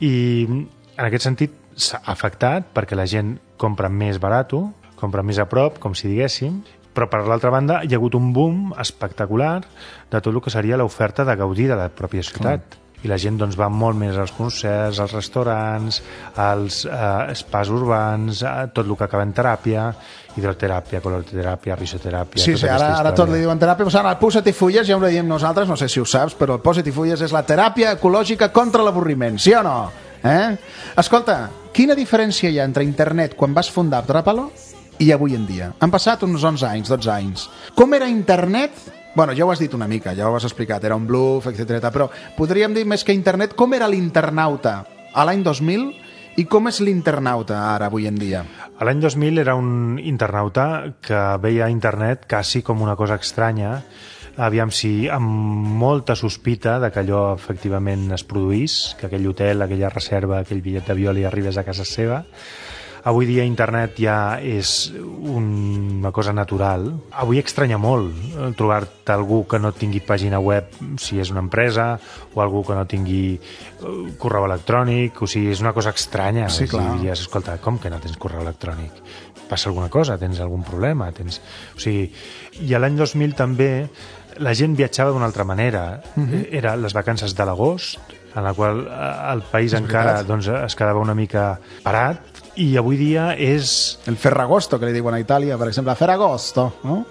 i en aquest sentit s'ha afectat perquè la gent compra més barat, compra més a prop, com si diguéssim, però per l'altra banda hi ha hagut un boom espectacular de tot el que seria l'oferta de gaudir de la pròpia ciutat. Clar. I la gent doncs, va molt més als concerts, als restaurants, als eh, spas urbans, a tot el que acaba en teràpia, hidroteràpia, coloroteràpia, risoteràpia... Sí, sí, ara, ara tot li diuen teràpia, però ara el posa't i fulles, ja ho diem nosaltres, no sé si ho saps, però el posa't i fulles és la teràpia ecològica contra l'avorriment, sí o no? Eh? Escolta, quina diferència hi ha entre internet quan vas fundar Atrapalo i avui en dia? Han passat uns onze anys, dotze anys. Com era internet... Bueno, ja ho has dit una mica, ja ho has explicat, era un bluff, etcètera. Però podríem dir més que internet, com era l'internauta a l'any dos mil i com és l'internauta ara, avui en dia? A l'any dos mil era un internauta que veia internet quasi com una cosa estranya, aviam si amb molta sospita de que allò efectivament es produís, que aquell hotel, aquella reserva, aquell bitllet d'avió li arribés a casa seva. Avui dia internet ja és una cosa natural. Avui estranya molt trobar-te algú que no tingui pàgina web si és una empresa, o algú que no tingui correu electrònic, o sigui, és una cosa estranya. Sí, clar. I diries, escolta, com que no tens correu electrònic? Passa alguna cosa? Tens algun problema? Tens... O sigui, i a l'any dos mil també la gent viatjava d'una altra manera. Uh-huh. Era les vacances de l'agost, en la qual el país encara doncs, es quedava una mica parat, i avui dia és... El Ferragosto, que li diuen a Itàlia, per exemple, Ferragosto, no?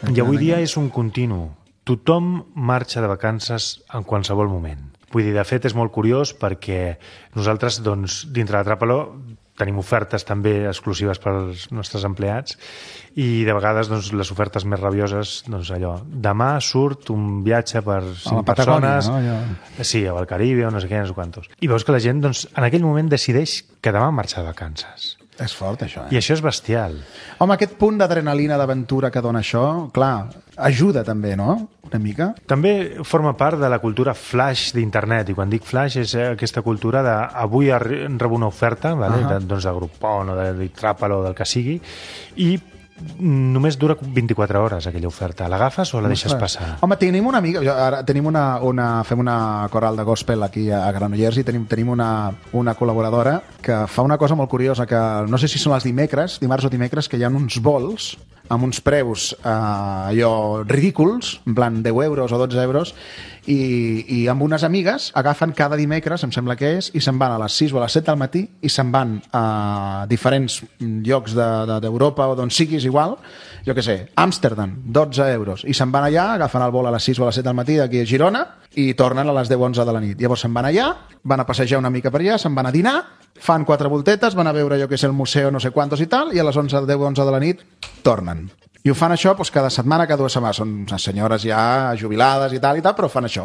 I avui dia és un continu. Tothom marxa de vacances en qualsevol moment. Vull dir, de fet, és molt curiós perquè nosaltres, doncs, dintre d'Atrapalo, tenim ofertes també exclusives per als nostres empleats i de vegades doncs, les ofertes més rabioses, doncs allò, demà surt un viatge per cinc persones, no? Ja. Sí, al Caribe o no sé què, no sé quantos. I veus que la gent doncs, en aquell moment decideix que demà marxa de vacances. És fort, això, eh? I això és bestial. Home, aquest punt d'adrenalina, d'aventura que dona això, clar, ajuda també, no? Una mica. També forma part de la cultura flash d'internet, i quan dic flash és aquesta cultura de avui rebo una oferta, vale? uh-huh. de, doncs de Groupon o de, de Atrapalo o del que sigui, i només dura vint-i-quatre hores aquella oferta. L'agafes o la deixes passar? Home, tenim una amiga, ara tenim una, una, fem una coral de gospel aquí a Granollers i tenim, tenim una, una col·laboradora que fa una cosa molt curiosa, que no sé si són els dimecres, dimarts o dimecres, que hi ha uns vols amb uns preus eh, allò ridículs, en plan deu euros o dotze euros, i, i amb unes amigues agafen cada dimecres, em sembla que és, i se'n van a les sis o a les set del matí i se'n van a diferents llocs d'Europa de, de, o d'on siguis igual, jo què sé, Amsterdam, dotze euros, i se'n van allà, agafen el vol a les sis o a les set del matí d'aquí a Girona i tornen a les deu o onze de la nit. Llavors se'n van allà, van a passejar una mica per allà, se'n van a dinar, fan quatre voltetes, van a veure, jo que sé, el museu no sé quantos i tal, i a les onze, deu o onze de la nit tornen. I ho fan això doncs, cada setmana, cada dues setmanes. Són unes senyores ja jubilades i tal i tal, però fan això.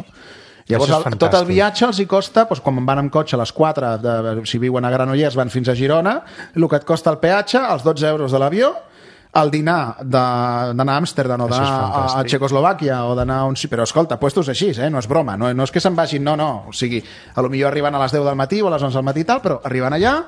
Llavors, el, tot el viatge els hi costa, doncs, quan van amb cotxe a les quatre, de, si viuen a Granollers, van fins a Girona, el que et costa el peatge, els dotze euros de l'avió, el dinar d'anar a Amsterdam o d'anar a, a Txecoslovàquia o d'anar on... Però escolta, puestos així, eh? No és broma, no, no és que se'n vagin, no, no. O sigui, a lo millor arriben a les deu del matí o a les onze del matí i tal, però arriben allà,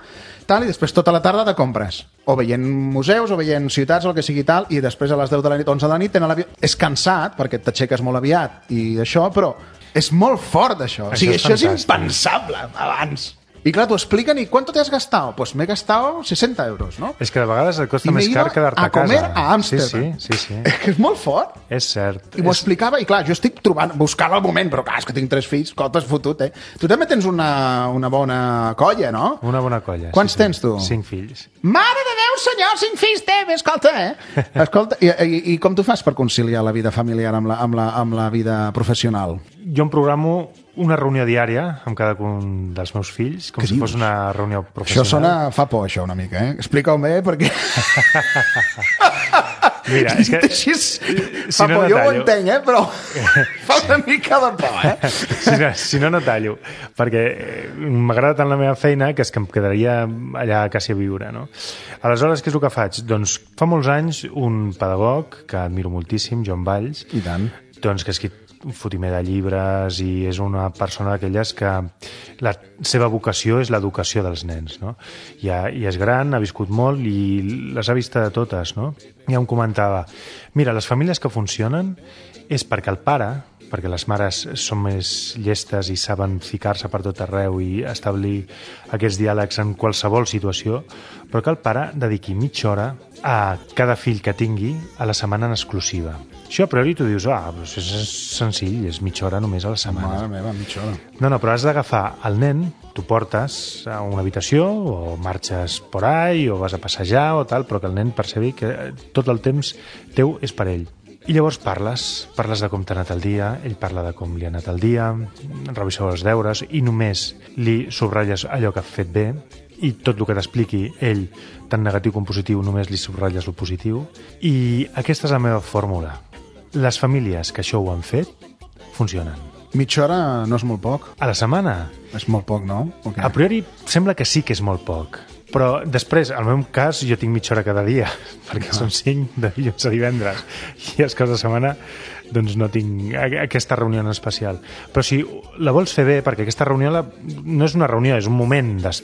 tal, i després tota la tarda de compres. O veient museus, o veient ciutats, o el que sigui tal, i després a les deu de la nit, onze de la nit, tenen l'avió... És cansat, perquè t'aixeques molt aviat i això, però és molt fort, això. O sigui, això és, això és impensable abans. I clar, t'ho expliquen, i ¿cuánto te has gastado? Pues me he gastado sesenta euros, ¿no? És que de vegades et costa més car quedar-te a casa. a comer a Amsterdam. Sí, sí, sí, sí. És que és molt fort. És cert. I m'ho és... explicava, i clar, jo estic trobant, buscant el moment, però clar, és que tinc tres fills, com t'has fotut, eh? Tu també tens una, una bona colla, no? Una bona colla, Quants sí, tens tu? Cinc fills. Mare de Déu, senyor, cinc fills té, escolta, eh? Escolta, i, i, i com tu fas per conciliar la vida familiar amb la, amb la, amb la vida professional? Jo em programo una reunió diària amb cada un dels meus fills, com Què si dius? fos una reunió professional. Això sona... fa por, això, una mica, eh? Explica-ho bé, perquè... Mira, és que... Així, si fa no, por, no jo ho tallo. entenc, eh? Però fa una mica de por, eh? Si no, si no, no tallo, perquè m'agrada tant la meva feina que és que em quedaria allà quasi a viure, no? Aleshores, què és el que faig? Doncs fa molts anys un pedagog que admiro moltíssim, Joan Valls, I tant. doncs que ha escrit un fotimer de llibres i és una persona d'aquelles que la seva vocació és l'educació dels nens, no? I, ha, i és gran, ha viscut molt i les ha vist de totes, no? I em comentava, mira, les famílies que funcionen és perquè el pare, perquè les mares són més llestes i saben ficar-se per tot arreu i establir aquests diàlegs en qualsevol situació, però que el pare dediqui mitja hora a cada fill que tingui a la setmana en exclusiva. Això a priori tu dius, ah, però és senzill, és mitja hora només a la setmana. Mare meva, mitja hora. No, no, però has d'agafar el nen, tu portes a una habitació o marxes por ahí o vas a passejar o tal, però que el nen percebi que tot el temps teu és per ell. I llavors parles, parles de com t'ha anat el dia, ell parla de com li ha anat el dia, reviseu els deures i només li subratlles allò que ha fet bé i tot el que t'expliqui ell, tant negatiu com positiu, només li subratlles el positiu. I aquesta és la meva fórmula. Les famílies que això ho han fet, funcionen. Mitja hora no és molt poc. A la setmana, És molt poc, no? Okay. a priori sembla que sí que és molt poc. Però després, al meu cas, jo tinc mitja hora cada dia, perquè són cinc de dilluns a divendres. I els caps de setmana, doncs no tinc aquesta reunió en especial. Però si la vols fer bé, perquè aquesta reunió la, no és una reunió, és un moment de,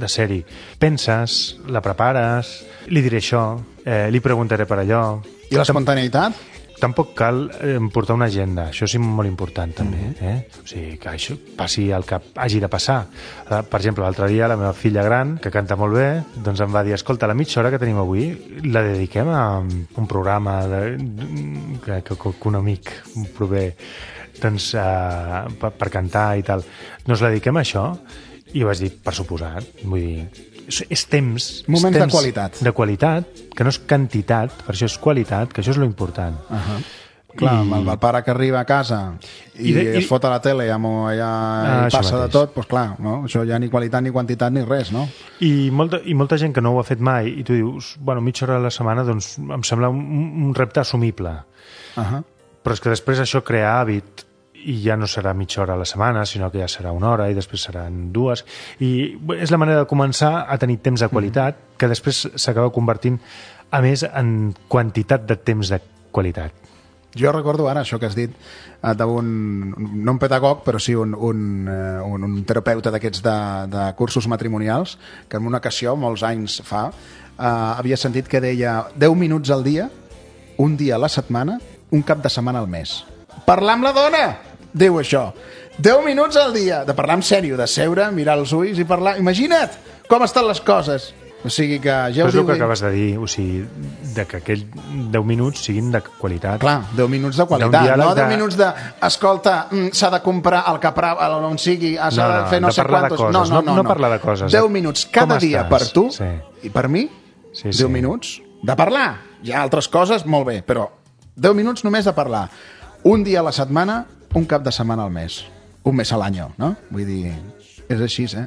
de ser-hi. Penses, la prepares, li diré això, eh, li preguntaré per allò. I l'espontaneïtat? Tampoc cal eh, portar una agenda, això és molt important també, eh? O sigui, que això passi el que hagi de passar. Per exemple, l'altre dia la meva filla gran, que canta molt bé, doncs em va dir, escolta, la mitja hora que tenim avui la dediquem a un programa de, que, que, que un amic prové doncs, uh, per, per cantar i tal. No ens la dediquem a això? I vaig dir, per suposat, vull dir, és, és temps... Moments temps de qualitat. De qualitat, que no és quantitat, per això és qualitat, que això és lo important. Uh -huh. Clar, I... amb el pare que arriba a casa i, I, de, i... es fot a la tele i allà ah, i passa mateix. de tot, doncs clar, no? Això ja ni qualitat, ni quantitat, ni res, no? I molta, I molta gent que no ho ha fet mai i tu dius, bueno, mitja hora a la setmana doncs em sembla un, un repte assumible. Uh -huh. Però és que després això crea hàbit i ja no serà mitja hora a la setmana, sinó que ja serà una hora i després seran dues. I és la manera de començar a tenir temps de qualitat mm. que després s'acaba convertint, a més, en quantitat de temps de qualitat. Jo recordo ara això que has dit d'un, no un pedagog, però sí un, un, un, un terapeuta d'aquests de, de cursos matrimonials, que en una ocasió, molts anys fa, eh, havia sentit que deia deu minuts al dia, un dia a la setmana, un cap de setmana al mes. Parlar amb la dona! Diu això. deu minuts al dia, de parlar en sèrio, de seure, mirar els ulls i parlar. Imagina't com estan les coses. O sigui que ja Però ho és el diu... que acabes de dir, o sigui, de que aquells deu minuts siguin de qualitat. Clar, deu minuts de qualitat, no deu de... minuts de, escolta, s'ha de comprar el capra, on sigui, s'ha no, no, de fer no de sé parlar de quantos... coses, no, no, no, no, no parlar de coses. deu minuts cada Com dia estàs? per tu Sí. i per mi, Sí, deu sí. minuts de parlar. Hi ha altres coses, molt bé, però deu minuts només de parlar. Un dia a la setmana, un cap de setmana al mes. Un mes a l'any, no? Vull dir, és així, eh?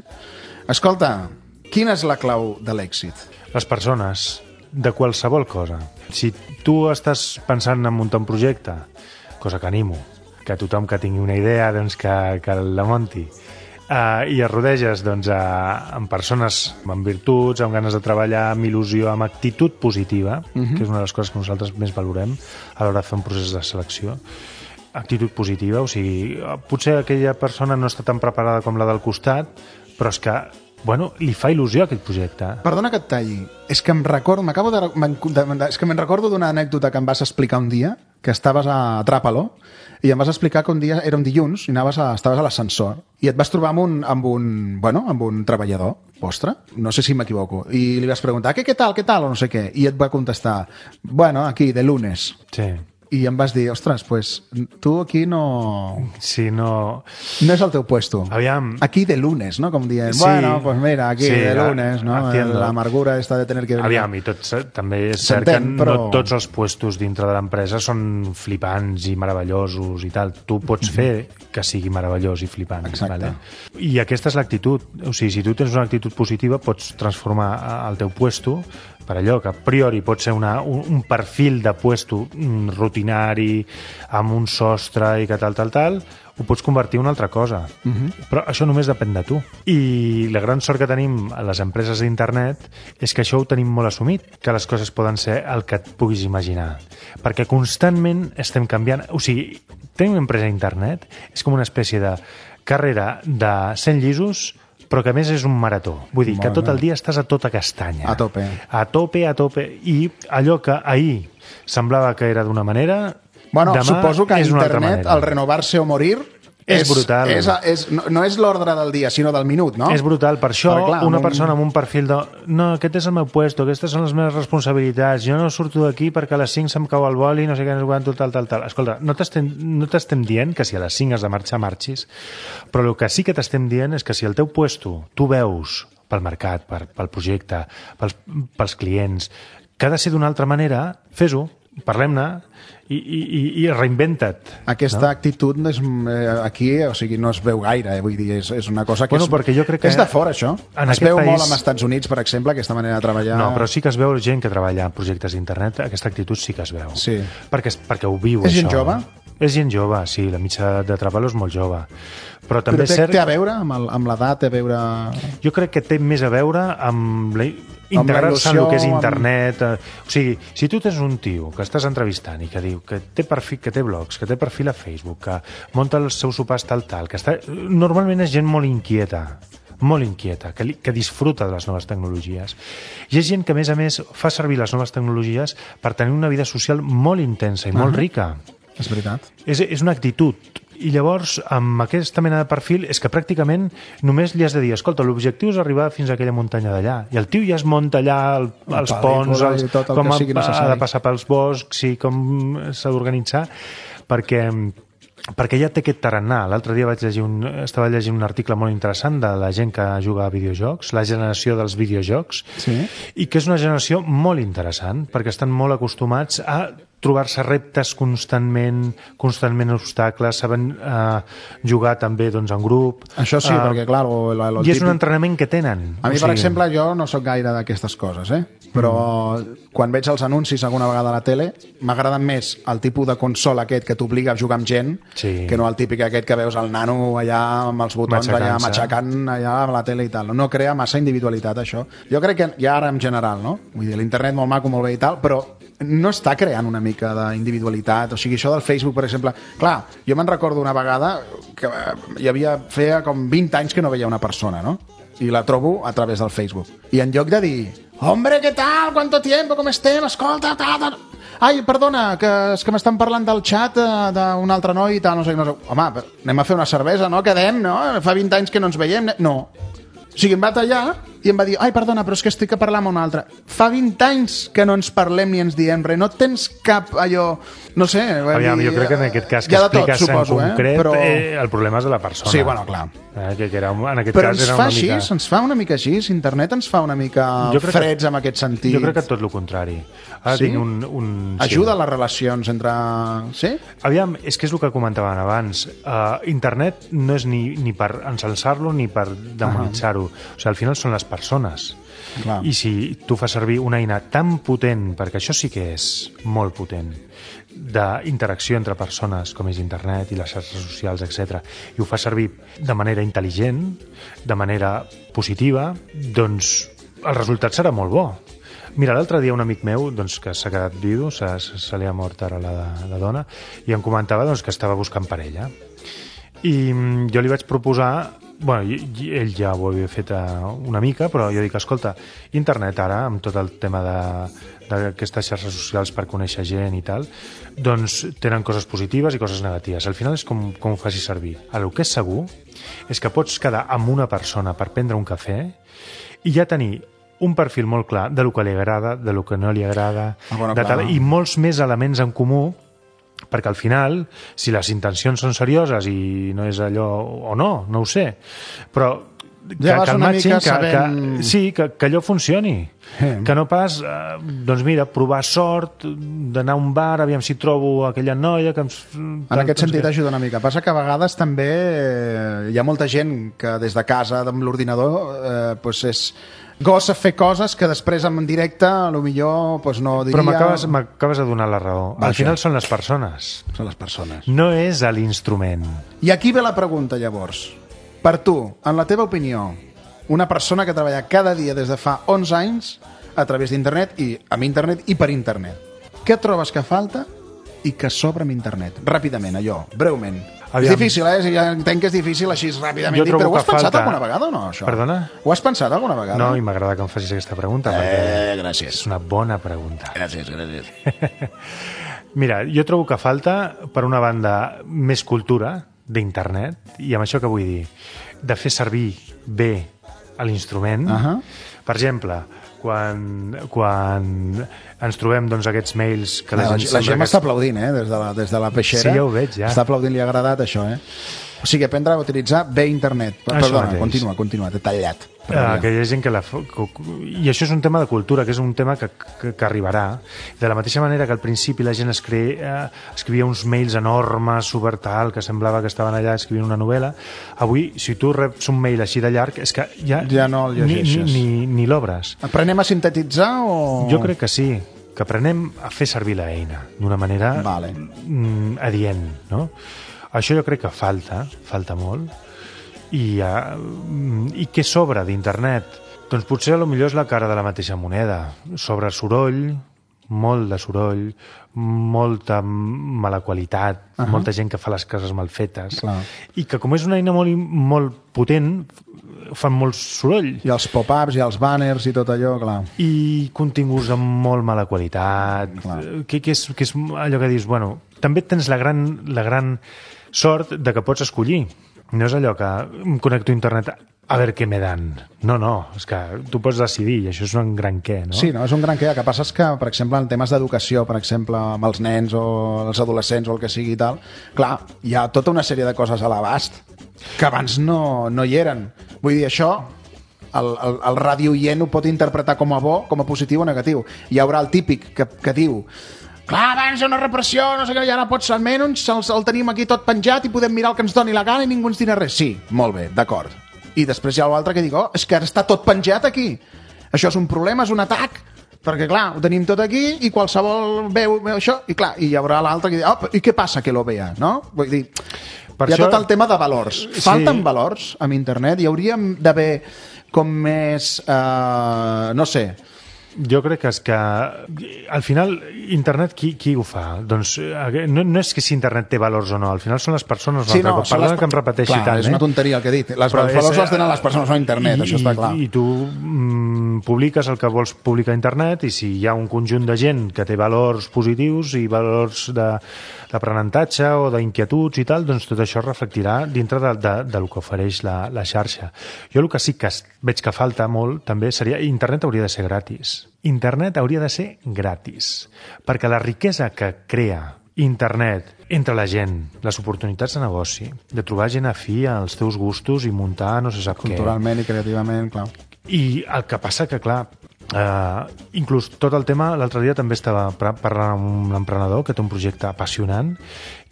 Escolta, quina és la clau de l'èxit? Les persones, de qualsevol cosa. Si tu estàs pensant en muntar un projecte, cosa que animo, que tothom que tingui una idea doncs que, que la munti, uh, i es rodeges doncs, a, amb persones amb virtuts, amb ganes de treballar, amb il·lusió, amb actitud positiva, uh-huh. que és una de les coses que nosaltres més valorem a l'hora de fer un procés de selecció, actitud positiva, o sigui, potser aquella persona no està tan preparada com la del costat, però és que, bueno, li fa il·lusió aquest projecte. Perdona que et talli, és que em recordo, m'acabo de, de, de, és que me'n recordo d'una anècdota que em vas explicar un dia, que estaves a Tràpalo, i em vas explicar que un dia era un dilluns i anaves a, estaves a l'ascensor i et vas trobar amb un, amb un, bueno, amb un treballador vostre, no sé si m'equivoco, i li vas preguntar, què, què tal, què tal, o no sé què, i et va contestar, bueno, aquí, de lunes. Sí. I em vas dir, ostres, pues, tu aquí no... Sí, no... No és el teu puesto. Aviam. Aquí de lunes, ¿no? Com dient, Sí. bueno, pues mira, aquí Sí, de lunes, ¿no? entiendo. La amargura esta de tener que venir. Aviam, i tots, també és cert que S'entén, però- no tots els puestos dintre de l'empresa són flipants i meravellosos i tal. Tu pots fer que sigui meravellós i flipant. Exacte. Vale? I aquesta és l'actitud. O sigui, si tu tens una actitud positiva, pots transformar el teu puesto per allò que a priori pot ser una, un, un perfil de puesto rutinari, amb un sostre i que tal, tal, tal, ho pots convertir en una altra cosa. Uh-huh. Però això només depèn de tu. I la gran sort que tenim a les empreses d'internet és que això ho tenim molt assumit, que les coses poden ser el que et puguis imaginar. Perquè constantment estem canviant. O sigui, tenir una empresa d'internet és com una espècie de carrera de cent llisos, però que a més és un marató. Vull dir, que tot el dia estàs a tota castanya. A tope. A tope, a tope. I allò que ahir semblava que era d'una manera, bueno, demà suposo que a és una altra internet, manera. al renovar-se o morir, És, és brutal. És, és, no, no és l'ordre del dia, sinó del minut, no? És brutal. Per això, Perquè, clar, una amb un- persona amb un perfil de... No, aquest és el meu puesto, aquestes són les meves responsabilitats, jo no surto d'aquí perquè a les cinc se'm cau el boli, no sé què, no sé quant, tal, tal, tal. Escolta, no t'estem no t'estem dient que si a les cinc has de marxar, marxis, però el que sí que t'estem dient és que si el teu puesto tu veus pel mercat, per, pel projecte, pels, pels clients, que ha de ser d'una altra manera, fes-ho, parlem-ne, i, i, i- i reinventa't. Aquesta no? actitud és, eh, aquí, o sigui, no es veu gaire, eh? Vull dir, és, és una cosa que, Bueno, és, perquè jo crec que és de fora, això. en Es aquest veu país- molt als Estats Units, per exemple, aquesta manera de treballar. No, però sí que es veu gent que treballa en projectes d'internet, aquesta actitud sí que es veu. Sí. Perquè, perquè ho viu, És això. gent jove? És gent jove, sí, la mitja de treball és molt jove. Però també Però és té, cert... té a veure amb el- amb l'edat, té a veure... Jo crec que té més a veure amb la... integrar-se en el que és il·lusió, internet. Amb... O sigui, si tu tens un tio que estàs entrevistant i que diu que té perfil, que té blogs, que té perfil a Facebook, que munta els seus sopars tal, tal, que està... Normalment és gent molt inquieta, molt inquieta, que, li, que disfruta de les noves tecnologies. I és gent que, a més a més, fa servir les noves tecnologies per tenir una vida social molt intensa i molt Ah. rica. És veritat. És, és una actitud. I llavors, amb aquesta mena de perfil, és que pràcticament només li has de dir, escolta, l'objectiu és arribar fins a aquella muntanya d'allà. I el tio ja es munta allà el, els pel·lícula ponts, els, i tot el com que ha, sigui ha necessari. de passar pels boscs i com s'ha d'organitzar, perquè perquè ja té aquest tarannà. L'altre dia vaig llegir un, estava llegint un article molt interessant de la gent que juga a videojocs, la generació dels videojocs, Sí. i que és una generació molt interessant, perquè estan molt acostumats a trobar-se reptes constantment, constantment obstacles, saben eh, jugar també doncs, en grup. Això sí, Eh, perquè, clar, el, el, el I és un típic- entrenament que tenen. A mi, O per sigui, exemple, jo no sóc gaire d'aquestes coses, eh? Però mm. quan veig els anuncis alguna vegada a la tele, m'agraden més el tipus de consola aquest que t'obliga a jugar amb gent, Sí. que no el típic aquest que veus el nano allà amb els botons allà Matxacant-se. matxacant allà a la tele i tal. No crea massa individualitat, això. Jo crec que ja ara en general, no? Vull dir, l'internet molt maco, molt bé i tal, però no està creant una mica d'individualitat. O sigui, això del Facebook, per exemple... Clar, jo me'n recordo una vegada que eh, hi havia, feia com vint anys que no veia una persona, no? I la trobo a través del Facebook. I en lloc de dir, hombre, què tal? ¿Cuánto tiempo? Com estem? Escolta, tal, tal... Ai, perdona, que és que m'estan parlant del xat eh, d'un altre noi i tal, no sé, no sé. Home, anem a fer una cervesa, no? Quedem, no? Fa vint anys que no ens veiem. No. O sigui, em va tallar i em va dir, ai, perdona, però és que estic a parlar amb un altre. Fa vint anys que no ens parlem ni ens diem res. No tens cap allò... No sé... vull Aviam, dir, jo crec que en aquest cas que hi ha de tot, expliques suposo, en concret, eh? Però... eh, el problema és de la persona. Sí, bueno, clar. Eh, que, que era, un- en aquest Però cas ens era fa una així, mica... ens fa una mica així. Internet ens fa una mica Jo crec que- freds en aquest sentit. Jo crec que tot el contrari. Ara Sí? tinc un... un Ajuda sí. les relacions entre... Sí? Aviam, és que és el que comentaven abans. Uh, internet no és ni, ni per ensalçar-lo ni per demonitzar-ho. O sigui, al final són les persones. Clar. I si tu fas servir una eina tan potent, perquè això sí que és molt potent, d'interacció entre persones, com és internet i les xarxes socials, etcètera, i ho fa servir de manera intel·ligent, de manera positiva, doncs el resultat serà molt bo. Mira, l'altre dia un amic meu doncs, que s'ha quedat vidu, se, se li ha mort ara la, la dona, i em comentava doncs, que estava buscant parella. I mm, jo li vaig proposar, bueno, i, i ell ja ho havia fet eh, una mica, però jo dic, escolta, internet ara, amb tot el tema de d'aquestes xarxes socials per conèixer gent i tal, doncs tenen coses positives i coses negatives. Al final és com, com ho facis servir. Ara, el que és segur és que pots quedar amb una persona per prendre un cafè i ja tenir un perfil molt clar de lo que li agrada, de lo que no li agrada, Ah, bueno, de clar. tal, i molts més elements en comú, perquè al final, si les intencions són serioses i no és allò, o no, no ho sé, però que, Ja vas que el una matching, mica que, sabent- que, sí, que, que allò funcioni. Eh. Que no pas, eh, doncs mira, provar sort, d'anar a un bar, aviam si trobo aquella noia que ens... En aquest sentit ajuda una mica. Passa que a vegades també eh, hi ha molta gent que des de casa, amb l'ordinador, eh, pues és gossa fer coses que després en directe a lo millor pues no diria... Però m'acabes m'acabes de donar la raó. Vaja. Al final són les persones, Són les persones. no és a l'instrument. I aquí ve la pregunta, llavors. Per tu, en la teva opinió, una persona que treballa cada dia des de fa onze anys a través d'internet i amb internet i per internet, què trobes que falta i que sobra amb internet? Ràpidament, allò, breument. Aviam. És difícil, eh? Ja entenc que és difícil així ràpidament Jo dir, trobo però ho has que pensat falta- alguna vegada o no, això? Perdona? Ho has pensat alguna vegada? No, i m'agrada que em facis aquesta pregunta, perquè Eh, gràcies. és una bona pregunta. Gràcies, gràcies. Mira, jo trobo que falta, per una banda, més cultura d'internet, i amb això què vull dir? De fer servir bé a l'instrument. Ahà. Per exemple, quan, quan ens trobem doncs, aquests mails que la, La, gent la sembla Gemma que està aplaudint, eh? Des de la, des de la peixera. Sí, ja ho veig, ja. Està aplaudint, li ha agradat això, eh? O sigui, aprendre a utilitzar bé internet. Això Perdona, mateix. continua, continua, t'he tallat. Però Ah, ja. que hi ha gent que la... fa- que- I això és un tema de cultura, que és un tema que, que, que arribarà. De la mateixa manera que al principi la gent escre... eh, escrivia uns mails enormes, super tal, que semblava que estaven allà escrivint una novel·la, avui, si tu reps un mail així de llarg, és que ja, Ja no el ni, ni, llegeixes. ni, ni l'obres. Aprenem a sintetitzar o... Jo crec que sí, que aprenem a fer servir l'eina d'una manera Vale. mm, adient, no? Això jo crec que falta, falta molt. I, uh, i què sobra d'internet? Doncs potser a lo millor és la cara de la mateixa moneda. Sobre soroll, molt de soroll, molta mala qualitat, uh -huh. molta gent que fa les coses mal fetes. Clar. I que com és una eina molt, molt potent, fan molt soroll. I els pop-ups i els banners i tot allò, clar. I continguts amb molt mala qualitat, Clar. que, que, és, que és allò que dius, bueno, també tens la gran, la gran sort de que pots escollir. No és allò que em connecto a internet a veure què me dan. No, no, és que tu pots decidir i això és un gran què, no? Sí, no? És un gran que El que passa és que, per exemple, en temes d'educació, per exemple, amb els nens o els adolescents o el que sigui i tal, clar, hi ha tota una sèrie de coses a l'abast que abans no, no hi eren. Vull dir, això el, el, el radioient ho pot interpretar com a bo, com a positiu o negatiu. Hi haurà el típic que, que diu clar, abans hi ha una repressió, no sé què, i ara pots almenys el, el tenim aquí tot penjat i podem mirar el que ens doni la gana i ningú ens dirà res. Sí, molt bé, d'acord. I després hi ha l'altre que diu, oh, és que ara està tot penjat aquí. Això és un problema, és un atac, perquè clar, ho tenim tot aquí i qualsevol veu, veu això, i clar, i hi haurà l'altre que diu, oh, i què passa que lo vea, no? Vull dir, Per hi ha això- tot el tema de valors. Sí. Falten valors amb internet? Hi hauríem d'haver com més, eh, no sé, Jo crec que és que al final internet qui, qui ho fa? Doncs eh, no, no és que si internet té valors o no, al final són les persones Sí, l'altre no, cop. són Perdona les- que em repeteixi clar, tant, és una eh? tonteria el que he dit. Les Però valors és, les tenen les persones, no internet, i, això està clar. I, i tu mm, publiques el que vols publicar a internet i si hi ha un conjunt de gent que té valors positius i valors de d'aprenentatge o d'inquietuds i tal, doncs tot això es reflectirà dintre de, de, del que ofereix la, la xarxa. Jo el que sí que es- veig que falta molt també seria... Internet hauria de ser gratis. Internet hauria de ser gratis. Perquè la riquesa que crea internet entre la gent, les oportunitats de negoci, de trobar gent afí als teus gustos i muntar no se sap què. Culturalment i creativament, clar. I el que passa que, clar, eh, inclús tot el tema, l'altre dia també estava pra- parlant amb un emprenedor que té un projecte apassionant,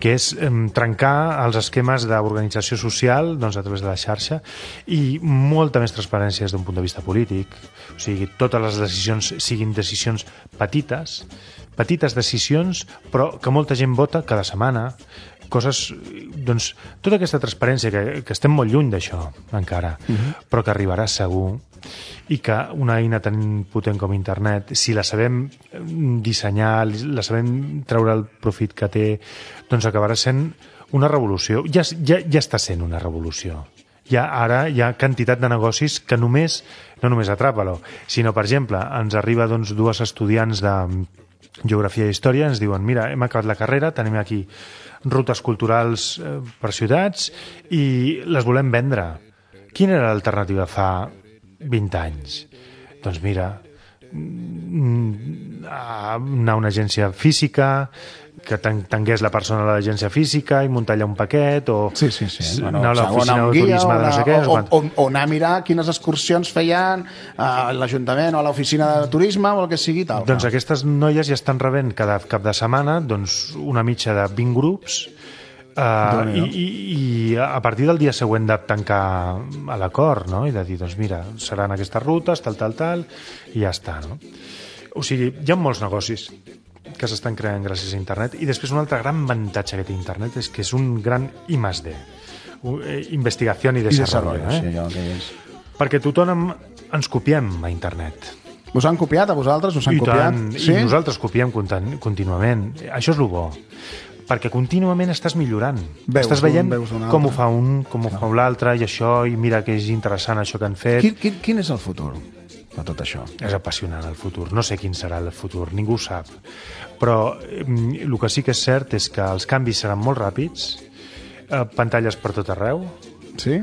que és eh, trencar els esquemes d'organització social doncs, a través de la xarxa i molta més transparència des d'un punt de vista polític. O sigui, totes les decisions siguin decisions petites, petites decisions, però que molta gent vota cada setmana, coses, doncs, tota aquesta transparència, que, que estem molt lluny d'això encara, uh -huh. però que arribarà segur, i que una eina tan potent com internet, si la sabem dissenyar, la sabem treure el profit que té, doncs acabarà sent una revolució. Ja, ja, ja està sent una revolució. Ja, ara hi ha quantitat de negocis que només, no només atrapa-lo, sinó, per exemple, ens arriba doncs, dues estudiants de Geografia i Història, ens diuen, mira, hem acabat la carrera, tenim aquí rutes culturals eh, per ciutats i les volem vendre. Quina era l'alternativa fa vint anys? Doncs mira, mm, a anar a una agència física, que t'engués la persona a l'agència física i muntar allà un paquet o sí, sí, sí. anar Bueno, a l'oficina o de turisme de no sé què. o, o, o, o anar a mirar quines excursions feien a l'Ajuntament o a l'oficina de turisme o el que sigui tal. Doncs aquestes noies ja estan rebent cada cap de setmana doncs, una mitja de vint grups Uh, i, i, i a partir del dia següent de tancar a l'acord, no? I de dir, doncs mira, seran aquestes rutes, tal, tal, tal, i ja està, no? O sigui, hi ha molts negocis que s'estan creant gràcies a internet, i després un altre gran avantatge que té internet és que és un gran I més D, investigació i desarrollo, I eh? sí, allò que és. Perquè tothom ens copiem a internet. Us han copiat a vosaltres? Us han I copiat? tant, sí? I nosaltres copiem contínuament. Això és el bo, perquè contínuament estàs millorant. Veus estàs veient un, veus un com ho altre. fa un, com ho fa l'altre, i això, i mira que és interessant això que han fet. Quin, quin, quin és el futur de tot això? És apassionant el futur. No sé quin serà el futur, ningú ho sap. Però eh, el que sí que és cert és que els canvis seran molt ràpids, eh, pantalles per tot arreu. Sí?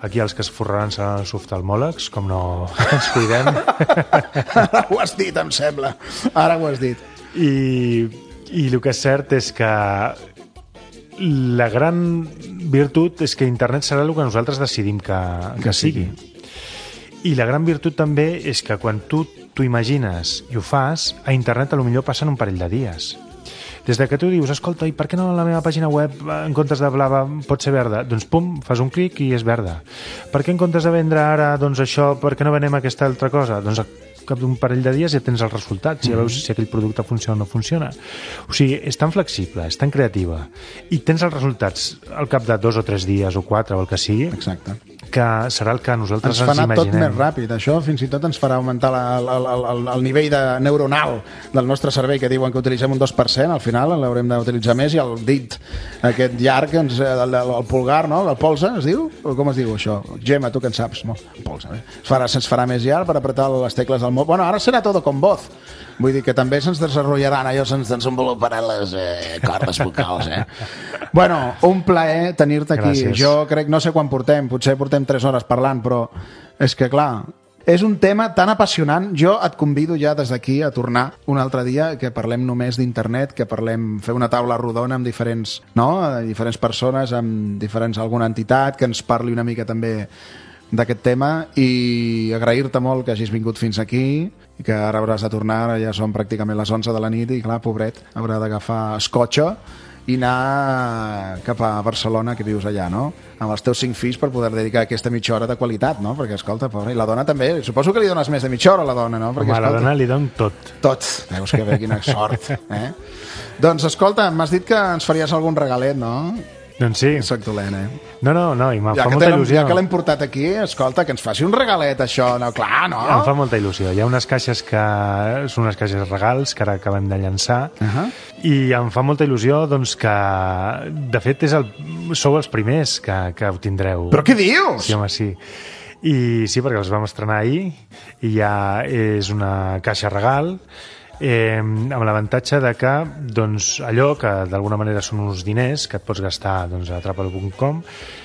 Aquí els que es forraran seran els oftalmòlegs, com no ens cuidem. Ara ho has dit, em sembla. Ara ho has dit. I, i el que és cert és que la gran virtut és que internet serà el que nosaltres decidim que, que, que sigui. I la gran virtut també és que quan tu t'ho imagines i ho fas, a internet a lo millor passen un parell de dies. Des de que tu dius, escolta, i per què no la meva pàgina web en comptes de blava pot ser verda? Doncs pum, fas un clic i és verda. Per què en comptes de vendre ara doncs això, per què no venem aquesta altra cosa? Doncs cap d'un parell de dies ja tens els resultats, ja veus si aquell producte funciona o no funciona. O sigui, és tan flexible, és tan creativa, i tens els resultats al cap de dos o tres dies o quatre o el que sigui. Exacte. Que serà el que nosaltres ens ens, fa anar imaginem. tot més ràpid. Això fins i tot ens farà augmentar la, la, la, el, el nivell de neuronal del nostre cervell, que diuen que utilitzem un dos per cent, al final l'haurem d'utilitzar més, i el dit aquest llarg, ens, el, el, el pulgar, no? El polze, es diu? O com es diu això? Gemma, tu que en saps? No, el polze, eh? Es farà, se'ns farà més llarg per apretar les tecles del mot. Bueno, ara serà tot com voz. Vull dir que també se'ns desenvoluparan allò, se'ns desenvoluparan les eh, cordes vocals, eh? Bueno, un plaer tenir-te aquí. Gràcies. Jo crec, no sé quan portem, potser portem tres hores parlant, però és que, clar, és un tema tan apassionant. Jo et convido ja des d'aquí a tornar un altre dia, que parlem només d'internet, que parlem, fer una taula rodona amb diferents, no? diferents persones, amb diferents, alguna entitat, que ens parli una mica també d'aquest tema, i agrair-te molt que hagis vingut fins aquí, i que ara hauràs de tornar, ara ja són pràcticament les onze de la nit, i clar, pobret, haurà d'agafar escotxa i anar cap a Barcelona, que vius allà, no? Amb els teus cinc fills, per poder dedicar aquesta mitja hora de qualitat, no? Perquè, escolta, pobra, i la dona també, suposo que li dones més de mitja hora a la dona, no? Perquè, Home, a la escolta, dona li don tot. tot. Veus que bé, quina sort, eh? Doncs, escolta, m'has dit que ens faries algun regalet, no? Doncs sí. Soc dolent, eh? No, no, no, i em Ja fa que, molta l'hem- il·lusió. ja que l'hem portat aquí, escolta, que ens faci un regalet, això, no? Clar, no? Em fa molta il·lusió. Hi ha unes caixes que són unes caixes regals que ara acabem de llançar, Ahà. i em fa molta il·lusió doncs, que, de fet, és el, sou els primers que, que ho tindreu. Però què dius? Sí, home, sí. I sí, perquè els vam estrenar ahir, i ja és una caixa regal, eh, amb l'avantatge de que doncs, allò que d'alguna manera són uns diners que et pots gastar doncs, a atrapalo punt com,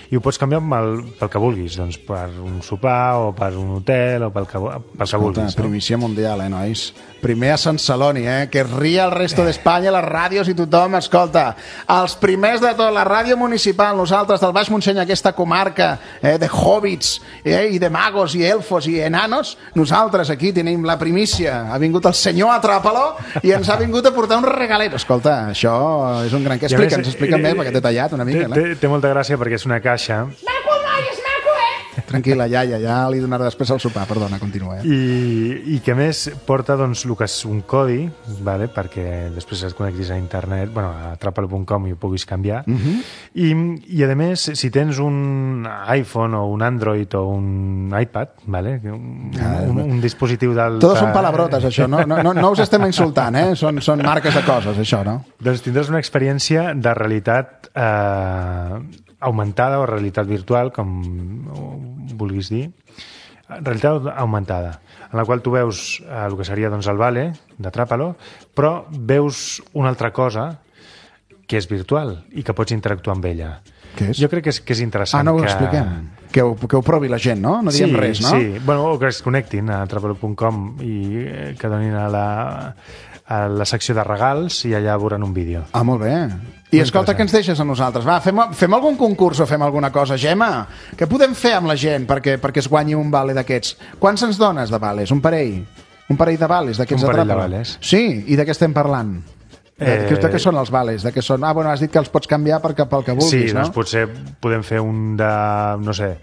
i ho pots canviar amb el, pel que vulguis, doncs, per un sopar o per un hotel o pel que, pel que Escolta, vulguis. No? primícia mundial, eh, nois? Primer a Sant Celoni, eh? Que ria el resto d'Espanya, les ràdios i tothom, escolta. Els primers de tot, la ràdio municipal, nosaltres del Baix Montseny, aquesta comarca eh, de hobbits eh, i de magos i elfos i enanos, nosaltres aquí tenim la primícia. Ha vingut el senyor Atrapalo i ens ha vingut a portar un regalet. Escolta, això és un gran... I a Explica'ns, més, explica'm eh, més, perquè t'he tallat una mica. Té, Eh? té, té molta gràcia perquè és una caixa Maco, noi, és maco, eh? Tranquil·la, iaia, ja li donaré després el sopar. Perdona, continua. Eh? i, i que a més porta doncs, el que és un codi, vale? Perquè després et connectis a internet, bueno, a atrapalo punt com i ho puguis canviar. Uh -huh. I, I a més, si tens un iPhone o un Android o un iPad, vale? un, un, un dispositiu del... Todos són palabrotes, això. No, no, no, no us estem insultant, eh? Són, són marques de coses, això, no? Doncs tindràs una experiència de realitat eh, augmentada o realitat virtual, com ho vulguis dir, realitat augmentada, en la qual tu veus eh, el que seria doncs, el Vale d'Atrapalo, però veus una altra cosa que és virtual i que pots interactuar amb ella. Què és? Jo crec que és, que és interessant. Ah, no ho que... expliquem. Que ho, que ho provi la gent, no? No diem sí, res, no? Sí, bueno, o que es connectin a atrapalo punt com i eh, que donin a la, a la secció de regals i allà veuran un vídeo. Ah, molt bé. I escolta, què ens deixes a nosaltres? Va, fem, fem algun concurs o fem alguna cosa, Gemma? Què podem fer amb la gent perquè, perquè es guanyi un vale d'aquests? Quants ens dones de vales? Un parell? Un parell de vales d'aquests Un de parell de Tràpala? vales. Sí, i de què estem parlant? Eh... De, de què són els vales? De què són? Ah, bueno, has dit que els pots canviar per, pel que vulguis, sí, no? doncs potser podem fer un de, no sé,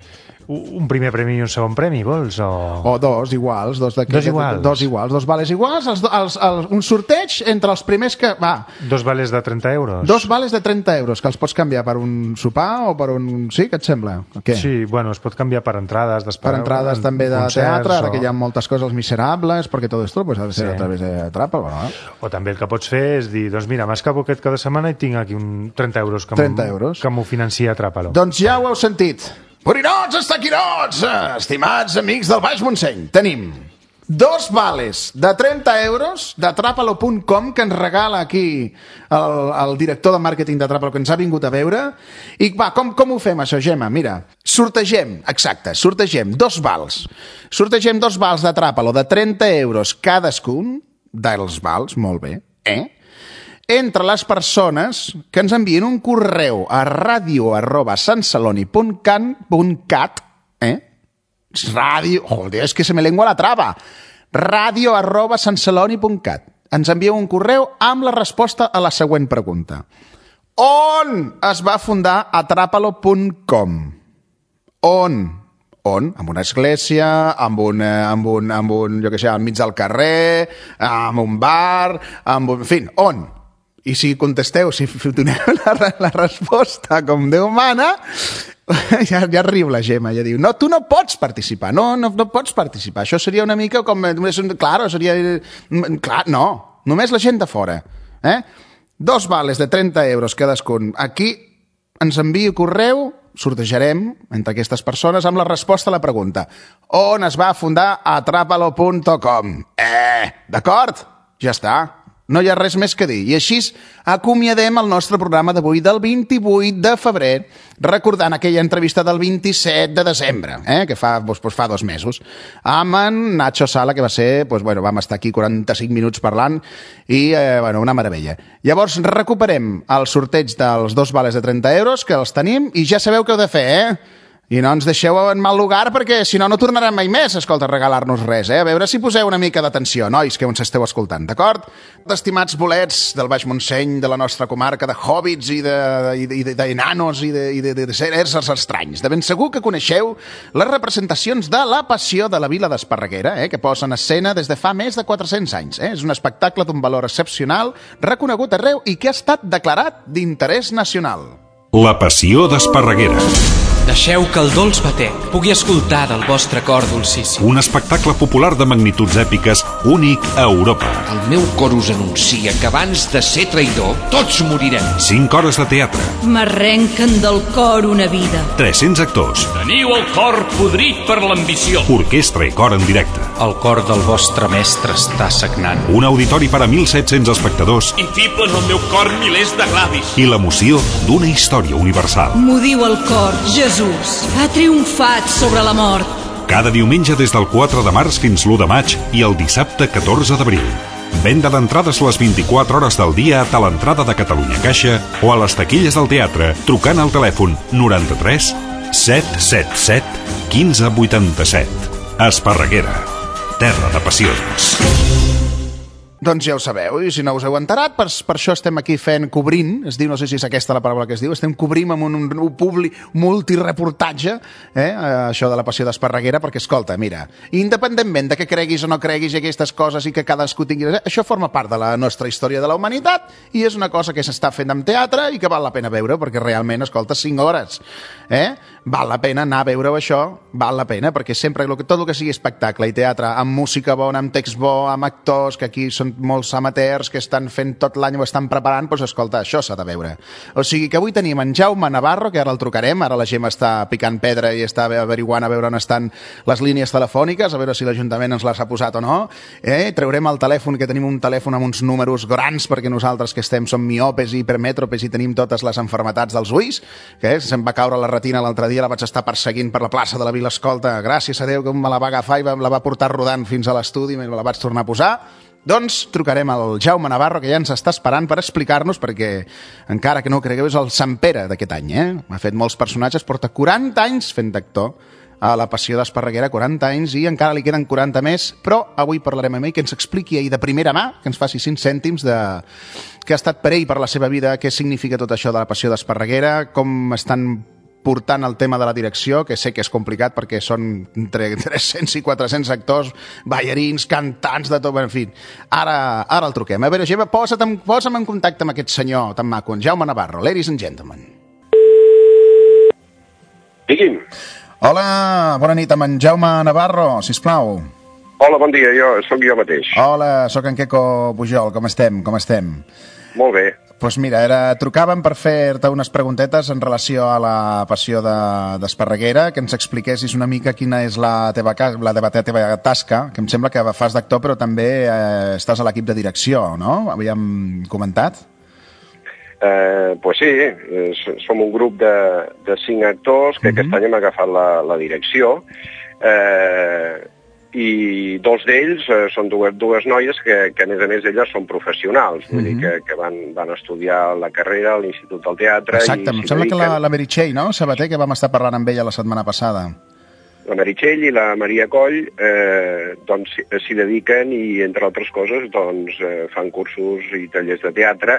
un primer premi i un segon premi, vols? O, o dos iguals. Dos, de, dos iguals. Dos iguals, dos vales iguals. Els, els, els, un sorteig entre els primers que... Va. Dos vales de trenta euros. Dos vales de trenta euros, que els pots canviar per un sopar o per un... Sí, què et sembla? Què? Sí, bueno, es pot canviar per entrades d'espai. Per entrades en, també de teatre, ara o... que hi ha moltes coses, Els Miserables, perquè tot esto pues, ha de ser sí. a través de Tràpala. Bueno, eh? O també el que pots fer és dir, doncs mira, m'escapo aquest cada setmana i tinc aquí un trenta euros que trenta euros. que m'ho financia Tràpala. Doncs ja ho heu sentit. Borinots, estaquinots, estimats amics del Baix Montseny, tenim dos vales de trenta euros de Tràpalo punt com que ens regala aquí el, el director de màrqueting de Tràpalo, que ens ha vingut a veure. I va, com, com ho fem això, Gemma? Mira, sortegem, exacte, sortegem dos vals. Sortegem dos vals de Tràpalo de trenta euros cadascun dels vals, molt bé, eh? Entre les persones que ens envien un correu a radio arroba sanceloni punt cat, eh? Ràdio... Joder, és que se me lengua la trava. radio arroba sanceloni punt cat. Ens envieu un correu amb la resposta a la següent pregunta. On es va fundar atrapalo punt com? On? On? Amb una església, amb un, amb un, amb un jo què sé, al mig del carrer, amb un bar, amb un... En fi, on? I si contesteu, si doneu la, la resposta com Déu mana, ja, ja riu la Gemma, ja diu, no, tu no pots participar, no, no, no pots participar, això seria una mica com, clar, seria, clar, no, només la gent de fora, eh? Dos vales de trenta euros cadascun, aquí ens envia correu, sortejarem entre aquestes persones amb la resposta a la pregunta, on es va fundar atrapalo punt com? Eh, d'acord? Ja està. No hi ha res més que dir. I així acomiadem el nostre programa d'avui del vint-i-vuit de febrer, recordant aquella entrevista del vint-i-set de desembre, eh, que fa, doncs, fa dos mesos, amb en Nacho Sala, que va ser, doncs, bueno, vam estar aquí quaranta-cinc minuts parlant, i, eh, bueno, una meravella. Llavors, recuperem el sorteig dels dos vales de trenta euros, que els tenim, i ja sabeu què heu de fer, eh? I no ens deixeu en mal lugar perquè si no, no tornarem mai més, escolta, a regalar-nos res, eh? A veure si poseu una mica d'atenció, nois, que ens esteu escoltant, d'acord? Estimats bolets del Baix Montseny, de la nostra comarca, de hobbits i d'enanos i de, i de, de, de seres estranys. De ben segur que coneixeu les representacions de La Passió de la Vila d'Esparreguera, eh? Que posen escena des de fa més de quatre-cents anys. Eh? És un espectacle d'un valor excepcional, reconegut arreu i que ha estat declarat d'interès nacional. La Passió d'Esparreguera. Deixeu que el dolç batec pugui escoltar del vostre cor dolcíssim. Un espectacle popular de magnituds èpiques únic a Europa. El meu cor us anuncia que abans de ser traïdor, tots morirem. Cinc hores de teatre. M'arrenquen del cor una vida. tres-cents actors. Teniu el cor podrit per l'ambició. Orquestra i cor en directe. El cor del vostre mestre està sagnant. Un auditori per a mil set-cents espectadors. Infiblen el meu cor milers de glavis. I l'emoció d'una història universal. M'ho diu el cor, Jesús. Ha triomfat sobre la mort. Cada diumenge des del quatre de març fins l'u de maig i el dissabte catorze d'abril. Venda d'entrades les vint-i-quatre hores del dia a l'entrada de Catalunya Caixa o a les taquilles del teatre trucant al telèfon noranta-tres set set set quinze vuitanta-set. Esparreguera, terra de passions. Doncs ja ho sabeu, i si no us heu enterat, per, per això estem aquí fent, cobrint, es diu, no sé si és aquesta la paraula que es diu, estem cobrint amb un, un, un publi, multireportatge, eh, això de La Passió d'Esparreguera, perquè, escolta, mira, independentment de que creguis o no creguis aquestes coses i que cadascú tingui... Això forma part de la nostra història de la humanitat i és una cosa que s'està fent amb teatre i que val la pena veure, perquè realment, escolta, cinc hores, eh? Val la pena anar a veure això, val la pena, perquè sempre tot el que sigui espectacle i teatre, amb música bona, amb text bo, amb actors, que aquí són molts amateurs que estan fent tot l'any o estan preparant, doncs escolta, això s'ha de veure. O sigui que avui tenim en Jaume Navarro, que ara el trucarem, ara la Gemma està picant pedra i està averiguant a veure on estan les línies telefòniques, a veure si l'Ajuntament ens les ha posat o no. Eh? Treurem el telèfon, que tenim un telèfon amb uns números grans, perquè nosaltres que estem som miopes i hipermètropes i tenim totes les enfermetats dels ulls, que se'm va caure la retina l'altre dia, la vaig estar perseguint per la plaça de la Vila Escolta, gràcies a Déu que me la va agafar i la va portar rodant fins a l'estudi i me la vaig tornar a posar. Doncs trucarem al Jaume Navarro, que ja ens està esperant per explicar-nos, perquè encara que no ho cregueu és el Sant Pere d'aquest any, eh? Ha fet molts personatges, porta quaranta anys fent d'actor a La Passió d'Esparreguera, quaranta anys, i encara li queden quaranta més, però avui parlarem amb ell, que ens expliqui ell de primera mà, que ens faci cinc cèntims de què ha estat per ell, per la seva vida, què significa tot això de La Passió d'Esparreguera, com estan portant el tema de la direcció, que sé que és complicat perquè són entre tres-cents i quatre-cents actors, ballarins, cantants, de tot, en fi. Ara, ara el truquem. A veure, Gemma, posa'm, posa'm en contacte amb aquest senyor tan maco, en Jaume Navarro. Ladies and gentlemen. Digui'm. Hola, bona nit, amb en Jaume Navarro, sisplau. Hola, bon dia, jo, sóc jo mateix. Hola, sóc en Queco Pujol, com estem, com estem? Molt bé. Doncs pues mira, era, trucàvem per fer-te unes preguntetes en relació a la Passió d'Esparreguera, que ens expliquessis una mica quina és la teva, la teva, teva tasca, que em sembla que fas d'actor però també eh, estàs a l'equip de direcció, no? Havíem comentat? Eh, pues sí, eh, som un grup de, de cinc actors que mm-hmm. aquest any hem agafat la, la direcció, eh, i dos d'ells eh, són dues, dues noies que, que, a més a més, elles són professionals, vull mm-hmm. dir que, que van, van estudiar la carrera a l'Institut del Teatre. Exacte, em sembla dediquen... que la, la Meritxell, no?, Sabater, que vam estar parlant amb ella la setmana passada. La Meritxell i la Maria Coll eh, doncs, s'hi dediquen i, entre altres coses, doncs, eh, fan cursos i tallers de teatre.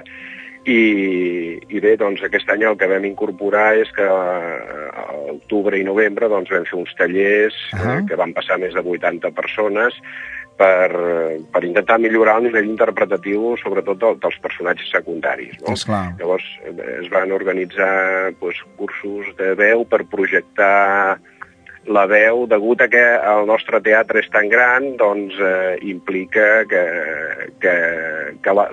I, i bé, doncs aquest any el que vam incorporar és que a octubre i novembre doncs, vam fer uns tallers uh-huh. eh, que van passar més de vuitanta persones per, per intentar millorar el nivell interpretatiu, sobretot del, dels personatges secundaris. No? Llavors es van organitzar doncs, cursos de veu per projectar la veu, degut a que el nostre teatre és tan gran, doncs eh, implica que, que, que la,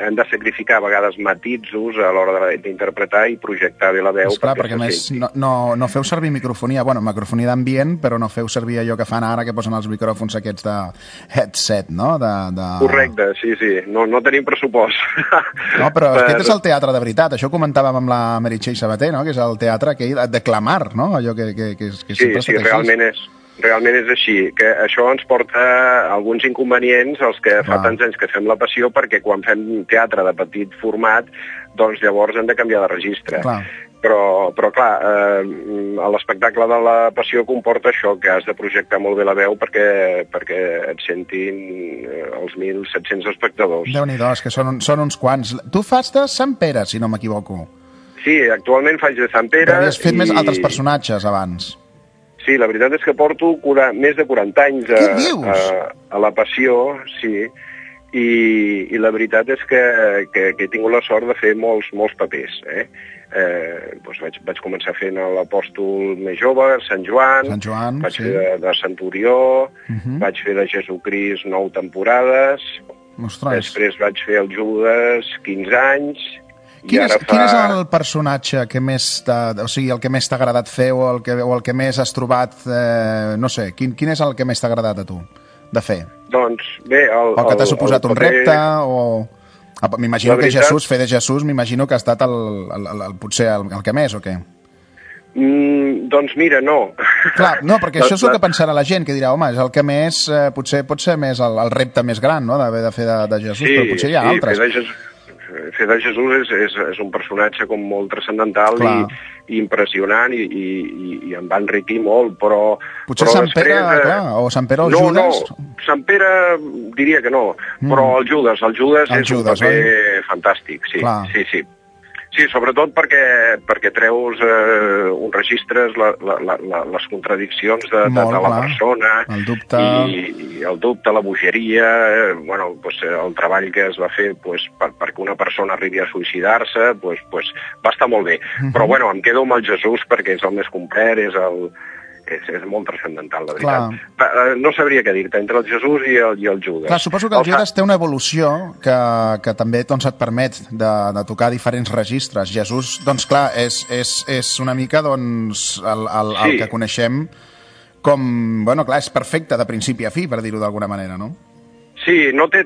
hem de sacrificar a vegades matisos a l'hora d'interpretar i projectar bé la veu. Esclar, perquè, perquè més no, no, no feu servir microfonia, bueno, microfonia d'ambient, però no feu servir allò que fan ara, que posen els micròfons aquests de headset, no? De, de... Correcte, sí, sí, no, no tenim pressupost. No, però per... aquest és el teatre de veritat, això ho comentàvem amb la Meritxell Sabater, no? Que és el teatre que, de clamar, no? Allò que, que, que, que sí, sempre sí, realment és, realment és així, que això ens porta alguns inconvenients als que fa tants anys que fem La Passió, perquè quan fem teatre de petit format, doncs llavors hem de canviar de registre. Clar. Però, però clar, eh, l'espectacle de La Passió comporta això, que has de projectar molt bé la veu perquè, perquè et sentin els mil set-cents espectadors. Déu-n'hi-do, és que són, són uns quants. Tu fas de Sant Pere, si no m'equivoco. Sí, actualment faig de Sant Pere. Però havies fet i... més altres personatges abans. Sí, la veritat és que porto cura, més de quaranta anys a, a, a La Passió, sí, i, i la veritat és que, que, que he tingut la sort de fer molts, molts papers. Eh? Eh, doncs vaig, vaig començar fent l'Apòstol més jove, Sant Joan, Sant Joan vaig sí. fer de, de Centurió, uh-huh. vaig fer de Jesucrist nou temporades, Ostres. Després vaig fer el Judes quinze anys... Quin és, fa... quin és el personatge que més o sigui, el que més t'ha agradat fer o el que, o el que més has trobat, eh, no sé, quin, quin és el que més t'ha agradat a tu de fer? Doncs bé... El, o que t'ha suposat el, el, un repte o... M'imagino veritat... que Jesús, fer de Jesús, m'imagino que ha estat el, el, el, el, potser el, el que més o què? Mm, doncs mira, no. Clar, no, perquè això és el que pensarà la gent, que dirà, home, és el que més, eh, potser pot ser més el, el repte més gran, no?, d'haver de fer de, de Jesús, sí, però potser hi ha sí, altres. Fer de Jesús... Fer de Jesús és, és, és un personatge com molt transcendental i, i impressionant i, i, i em va enriquir molt, però... Potser però Sant Pere, després, clar, o Sant Pere o no, Judes? No, Sant Pere diria que no, mm. però el Judes, el Judes el és Judes, un paper oi? Fantàstic, sí, clar. sí, sí. Sí, sobretot perquè, perquè treus eh, uns registres, la, la, la, les contradiccions de, de, de la persona, el dubte, i, i el dubte, la bogeria, eh, bueno, pues, el treball que es va fer pues, per, perquè una persona arribi a suïcidar-se, pues, pues, va estar molt bé. Uh-huh. Però bueno, em quedo amb el Jesús perquè és el més complet, és el... És, és molt transcendental, la veritat. Clar. No sabria què dir-te, entre el Jesús i el, i el Judes. Clar, suposo que el, el Judes té una evolució que, que també doncs, et permet de, de tocar diferents registres. Jesús, doncs clar, és, és, és una mica doncs, el, el, el sí. que coneixem com... Bueno, clar, és perfecte de principi a fi, per dir-ho d'alguna manera, no? Sí, no, té,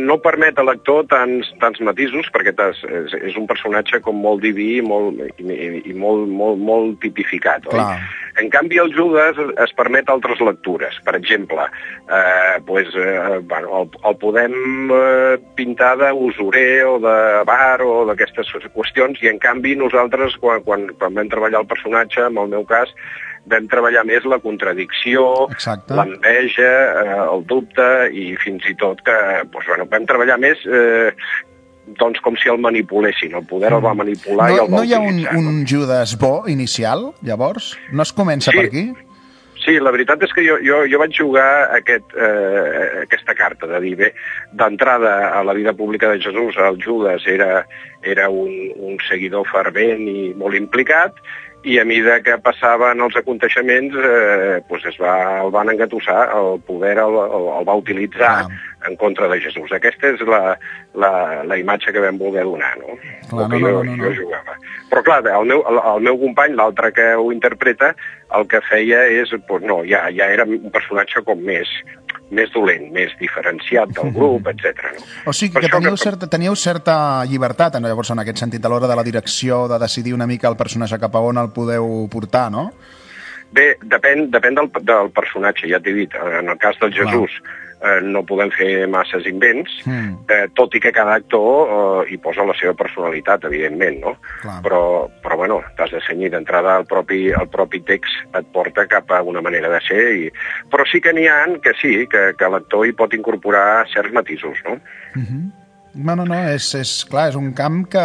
no permet a l'actor tants, tants matisos, perquè és, és un personatge com molt diví molt, i, i molt, molt, molt tipificat, oi? En canvi, el Judes es permet altres lectures. Per exemple, eh, pues, eh, bueno, el, el podem eh, pintar d'usurer o de bar o d'aquestes qüestions, i en canvi nosaltres, quan, quan, quan vam treballar el personatge, en el meu cas, vam treballar més la contradicció, l'enveja, eh, el dubte, i fins i tot que doncs, bueno, vam treballar més eh, doncs com si el manipulessin, el poder el va manipular no, i el va no hi ha utilitzar. un, un Judes bo inicial, llavors? No es comença sí. per aquí? Sí, la veritat és que jo, jo, jo vaig jugar aquest, eh, aquesta carta, de dir, bé, d'entrada a la vida pública de Jesús, el Judes era, era un, un seguidor fervent i molt implicat, i a mesura que passaven els aconteixements eh, doncs es va, el van engatussar, el poder el, el, el va utilitzar ah. en contra de Jesús. Aquesta és la, la, la imatge que vam voler donar, no? Clar, que no, jo, no, no, no. jo jugava. Però clar, el meu, el, el meu company, l'altre que ho interpreta, el que feia és, doncs no, ja, ja era un personatge com més, més dolent, més diferenciat del grup, etcètera. No? O sigui que teníeu, que certa, teníeu certa llibertat, llavors, en aquest sentit, a l'hora de la direcció, de decidir una mica el personatge cap a on el podeu portar, no? Bé, depèn, depèn del, del personatge, ja t'he dit. En el cas del Jesús eh, no podem fer masses invents, mm. eh, tot i que cada actor eh, hi posa la seva personalitat, evidentment, no? Clar. Però, però bueno, t'has de cenyir d'entrada, el propi, el propi text et porta cap a una manera de ser, i... però sí que n'hi ha que sí, que, que l'actor hi pot incorporar certs matisos, no? Mm-hmm. No, no, no, és, és, clar, és un camp que,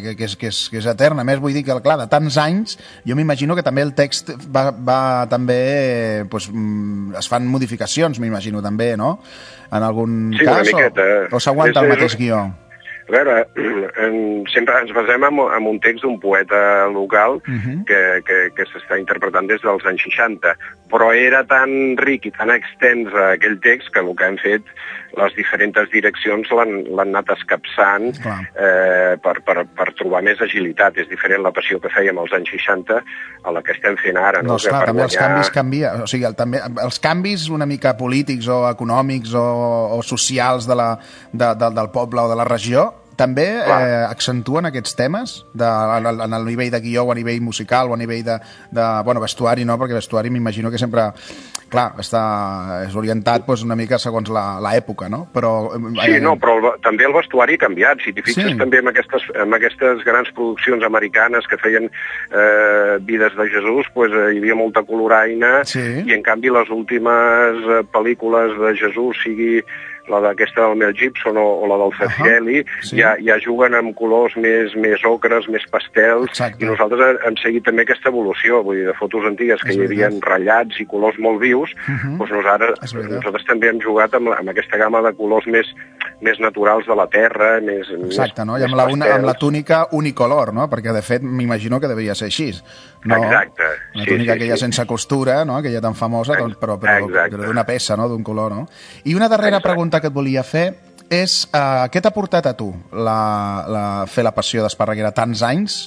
que, que, és, que, és, que és etern. A més, vull dir que, clar, de tants anys, jo m'imagino que també el text va, va també, pues, es fan modificacions, m'imagino, també, no? En algun sí, cas, miqueta, o, o s'aguanta el mateix guió? A veure, en, sempre ens basem en, en un text d'un poeta local uh-huh. que, que, que s'està interpretant des dels anys seixanta, però era tan ric i tan extens aquell text que el que han fet les diferents direccions l'han anat escapçant eh, per, per, per trobar més agilitat. És diferent la passió que fèiem als anys seixanta a la que estem fent ara. No, no esclar, també guanyar... els canvis canvia. O sigui, el, també, els canvis una mica polítics o econòmics o, o socials de la, de, de, del poble o de la regió també eh, accentuen aquests temes de, en, en el nivell de guió o a nivell musical o a nivell de, de bueno, vestuari, no? Perquè vestuari m'imagino que sempre, clar, està, és orientat pues, una mica segons l'època, no? Però, eh, sí, no, però el, també el vestuari ha canviat. Si t'hi fixes sí. també en aquestes, en aquestes grans produccions americanes que feien eh, Vides de Jesús, pues, eh, hi havia molta coloraina sí. i en canvi les últimes eh, pel·lícules de Jesús, sigui la d'aquesta del Mel Gibson o, o la del Zeffirelli, uh-huh. sí. ja, ja juguen amb colors més, més ocres, més pastels, Exacte. I nosaltres hem seguit també aquesta evolució, vull dir, de fotos antigues que és hi havia ratllats i colors molt vius, uh-huh. doncs nosaltres, nosaltres també hem jugat amb, amb aquesta gamma de colors més, més naturals de la terra, més Exacte, més, no? I amb la, una, amb la túnica unicolor, no? Perquè, de fet, m'imagino que devia ser així. No? Exacte. La sí, túnica sí, aquella sí. sense costura, no? Aquella tan famosa, doncs, però, però, però d'una peça, no? D'un color, no? I una darrera Exacte. pregunta que et volia fer és, uh, què t'ha portat a tu la, la, fer la passió d'Esparreguera tants anys?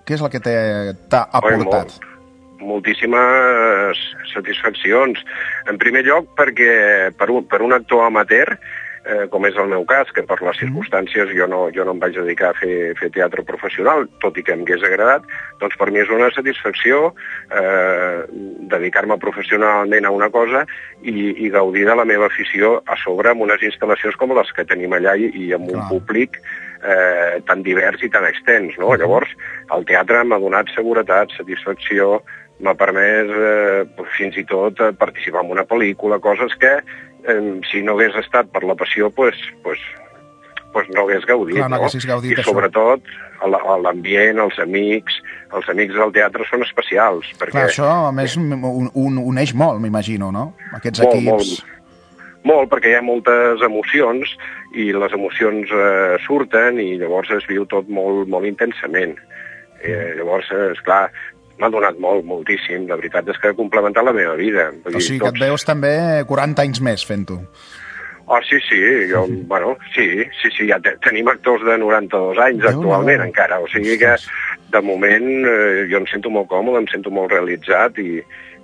Què és el que t'ha aportat? Molt, moltíssimes satisfaccions. En primer lloc, perquè per un, per un actor amateur, eh, com és el meu cas, que per les circumstàncies jo no, jo no em vaig dedicar a fer, fer teatre professional, tot i que em hagués agradat, doncs per mi és una satisfacció eh, dedicar-me professionalment a una cosa i, i gaudir de la meva afició a sobre amb unes instal·lacions com les que tenim allà i, i amb un Clar. públic eh, tan divers i tan extens, no? Uh-huh. Llavors, el teatre m'ha donat seguretat, satisfacció, m'ha permès eh, fins i tot participar en una pel·lícula, coses que eh, si no hagués estat per la passió, pues, pues, pues no hagués gaudit. Clar, no, no? gaudit I sobretot l'ambient, els amics, els amics del teatre són especials. Perquè... Clar, això a més un, un, uneix molt, m'imagino, no? Aquests molt, equips... Molt, molt, perquè hi ha moltes emocions i les emocions eh, surten i llavors es viu tot molt, molt intensament. Eh, llavors, esclar, m'ha donat molt, moltíssim. La veritat és que ha complementat la meva vida. O sigui que et veus també quaranta anys més fent-ho. Oh, sí, sí, jo, uh-huh. bueno, sí, sí, sí, ja te, tenim actors de noranta-dos anys Déu actualment no. encara, o sigui que de moment eh, jo em sento molt còmode, em sento molt realitzat i,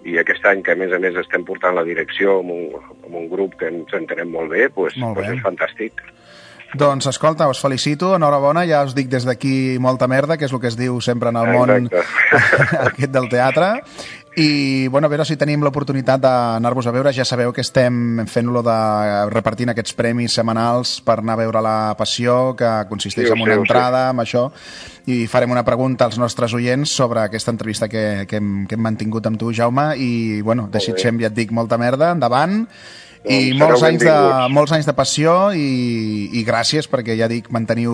i aquest any que a més a més estem portant la direcció amb un, amb un grup que ens entenem molt bé, doncs, molt bé. doncs és fantàstic. Doncs, escolta, us felicito, enhorabona, ja us dic des d'aquí molta merda, que és el que es diu sempre en el món aquest del teatre. I, bueno, a veure si tenim l'oportunitat d'anar-vos a veure. Ja sabeu que estem fent-lo de repartint aquests premis setmanals per anar a veure La Passió, que consisteix sí, en una sé, entrada, amb això, i farem una pregunta als nostres oients sobre aquesta entrevista que, que, hem, que hem mantingut amb tu, Jaume, i, bueno, desitgem, ja et dic, molta merda, endavant, i molts anys, de, molts anys de passió i, i gràcies perquè, ja dic, manteniu,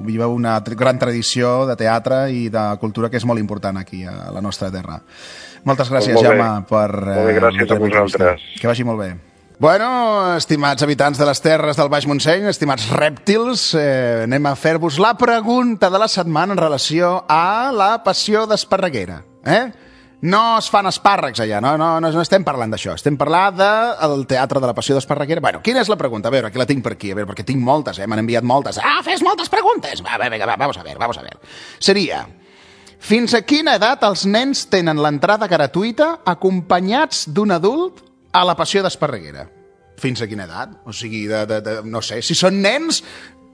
viveu una gran tradició de teatre i de cultura que és molt important aquí a la nostra terra. Moltes gràcies, molt Jaume, per... Molt bé, gràcies a vosaltres. Que vagi molt bé. Bueno, estimats habitants de les terres del Baix Montseny, estimats rèptils, eh, anem a fer-vos la pregunta de la setmana en relació a La Passió d'Esparreguera. Eh? No es fan espàrrecs allà, no, no, no, no estem parlant d'això, estem parlant del Teatre de la Passió d'Esparreguera. Bueno, quina és la pregunta? A veure, aquí la tinc per aquí, a veure, perquè tinc moltes, eh? M'han enviat moltes. Ah, fes moltes preguntes! Va, va, va, vamos a ver, vamos a ver. Seria, fins a quina edat els nens tenen l'entrada gratuïta acompanyats d'un adult a la Passió d'Esparreguera? Fins a quina edat? O sigui, de, de, de, no sé, si són nens,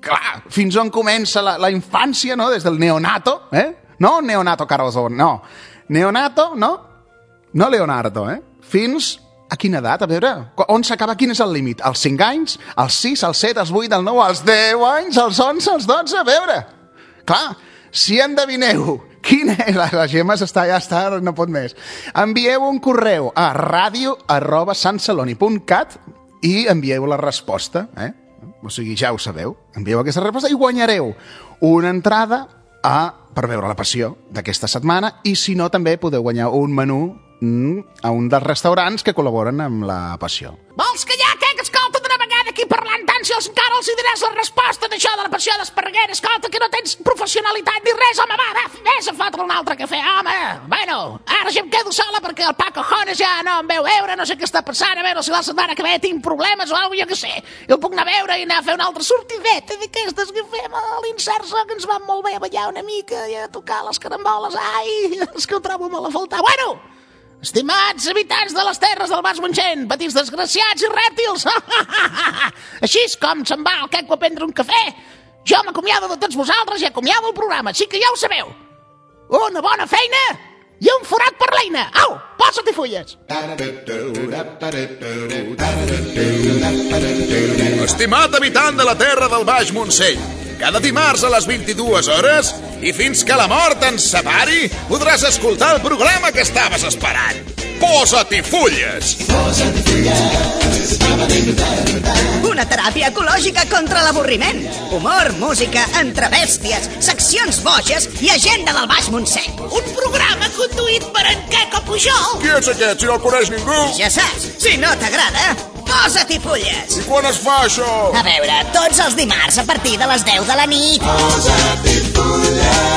clar, fins on comença la, la infància, no? Des del neonato, eh? No neonato Carlson, no. Neonato, no? No Leonardo, eh? Fins a quina edat? A veure, on s'acaba? Quin és el límit? Els cinc anys? Els sis, els set, els vuit, els nou, els deu anys, els onze, els dotze? A veure, clar, si endevineu quina és... La, la Gemma està, ja està, no pot més. Envieu un correu a ràdio arroba santceloni punt cat i envieu la resposta, eh? O sigui, ja ho sabeu. Envieu aquesta resposta i guanyareu una entrada a... per veure La Passió d'aquesta setmana, i si no també podeu guanyar un menú mm, a un dels restaurants que col·laboren amb La Passió. Vols callar, què? Que escolta, d'una vegada aquí parlant tant, si els encara els hi diràs la resposta d'això de La Passió d'Esparreguera, escolta, que no tens professionalitat ni res, home, va, va, vés a fotre un altre cafè, home. Bueno, ara ja em quedo sola perquè el Paco Jones ja no em veu veure, no sé què està passant, a veure si la setmana que ve tinc problemes o alguna cosa, jo què sé. Jo puc anar a veure i anar a fer una altra sortideta d'aquestes que fem a l'Inserso, que ens van molt bé a ballar una mica i a tocar les caramboles. Ai, és que ho trobo molt a faltar. Bueno, estimats habitants de les terres del Baix Montseny, petits desgraciats i rèptils, així és com se'n va el queco a prendre un cafè. Jo m'acomiado de tots vosaltres i acomiado el programa, així que ja ho sabeu. Una bona feina i un forat per l'eina. Au, posa-t'hi fulles. Estimat habitant de la terra del Baix Montseny, cada dimarts a les vint-i-dues hores i fins que la mort ens separi podràs escoltar el programa que estaves esperant. Posa-t'hi fulles! Posa-t'hi fulles! Una teràpia ecològica contra l'avorriment. Humor, música, entrebèsties, seccions boges i agenda del Baix Montseny. Un programa conduït per en Queco Pujol. Qui és aquest, si no el coneix ningú? Ja saps, si no t'agrada, posa-t'hi fulles. I quan es fa això? A veure, tots els dimarts a partir de les deu de la nit. Posa-t'hi fulles.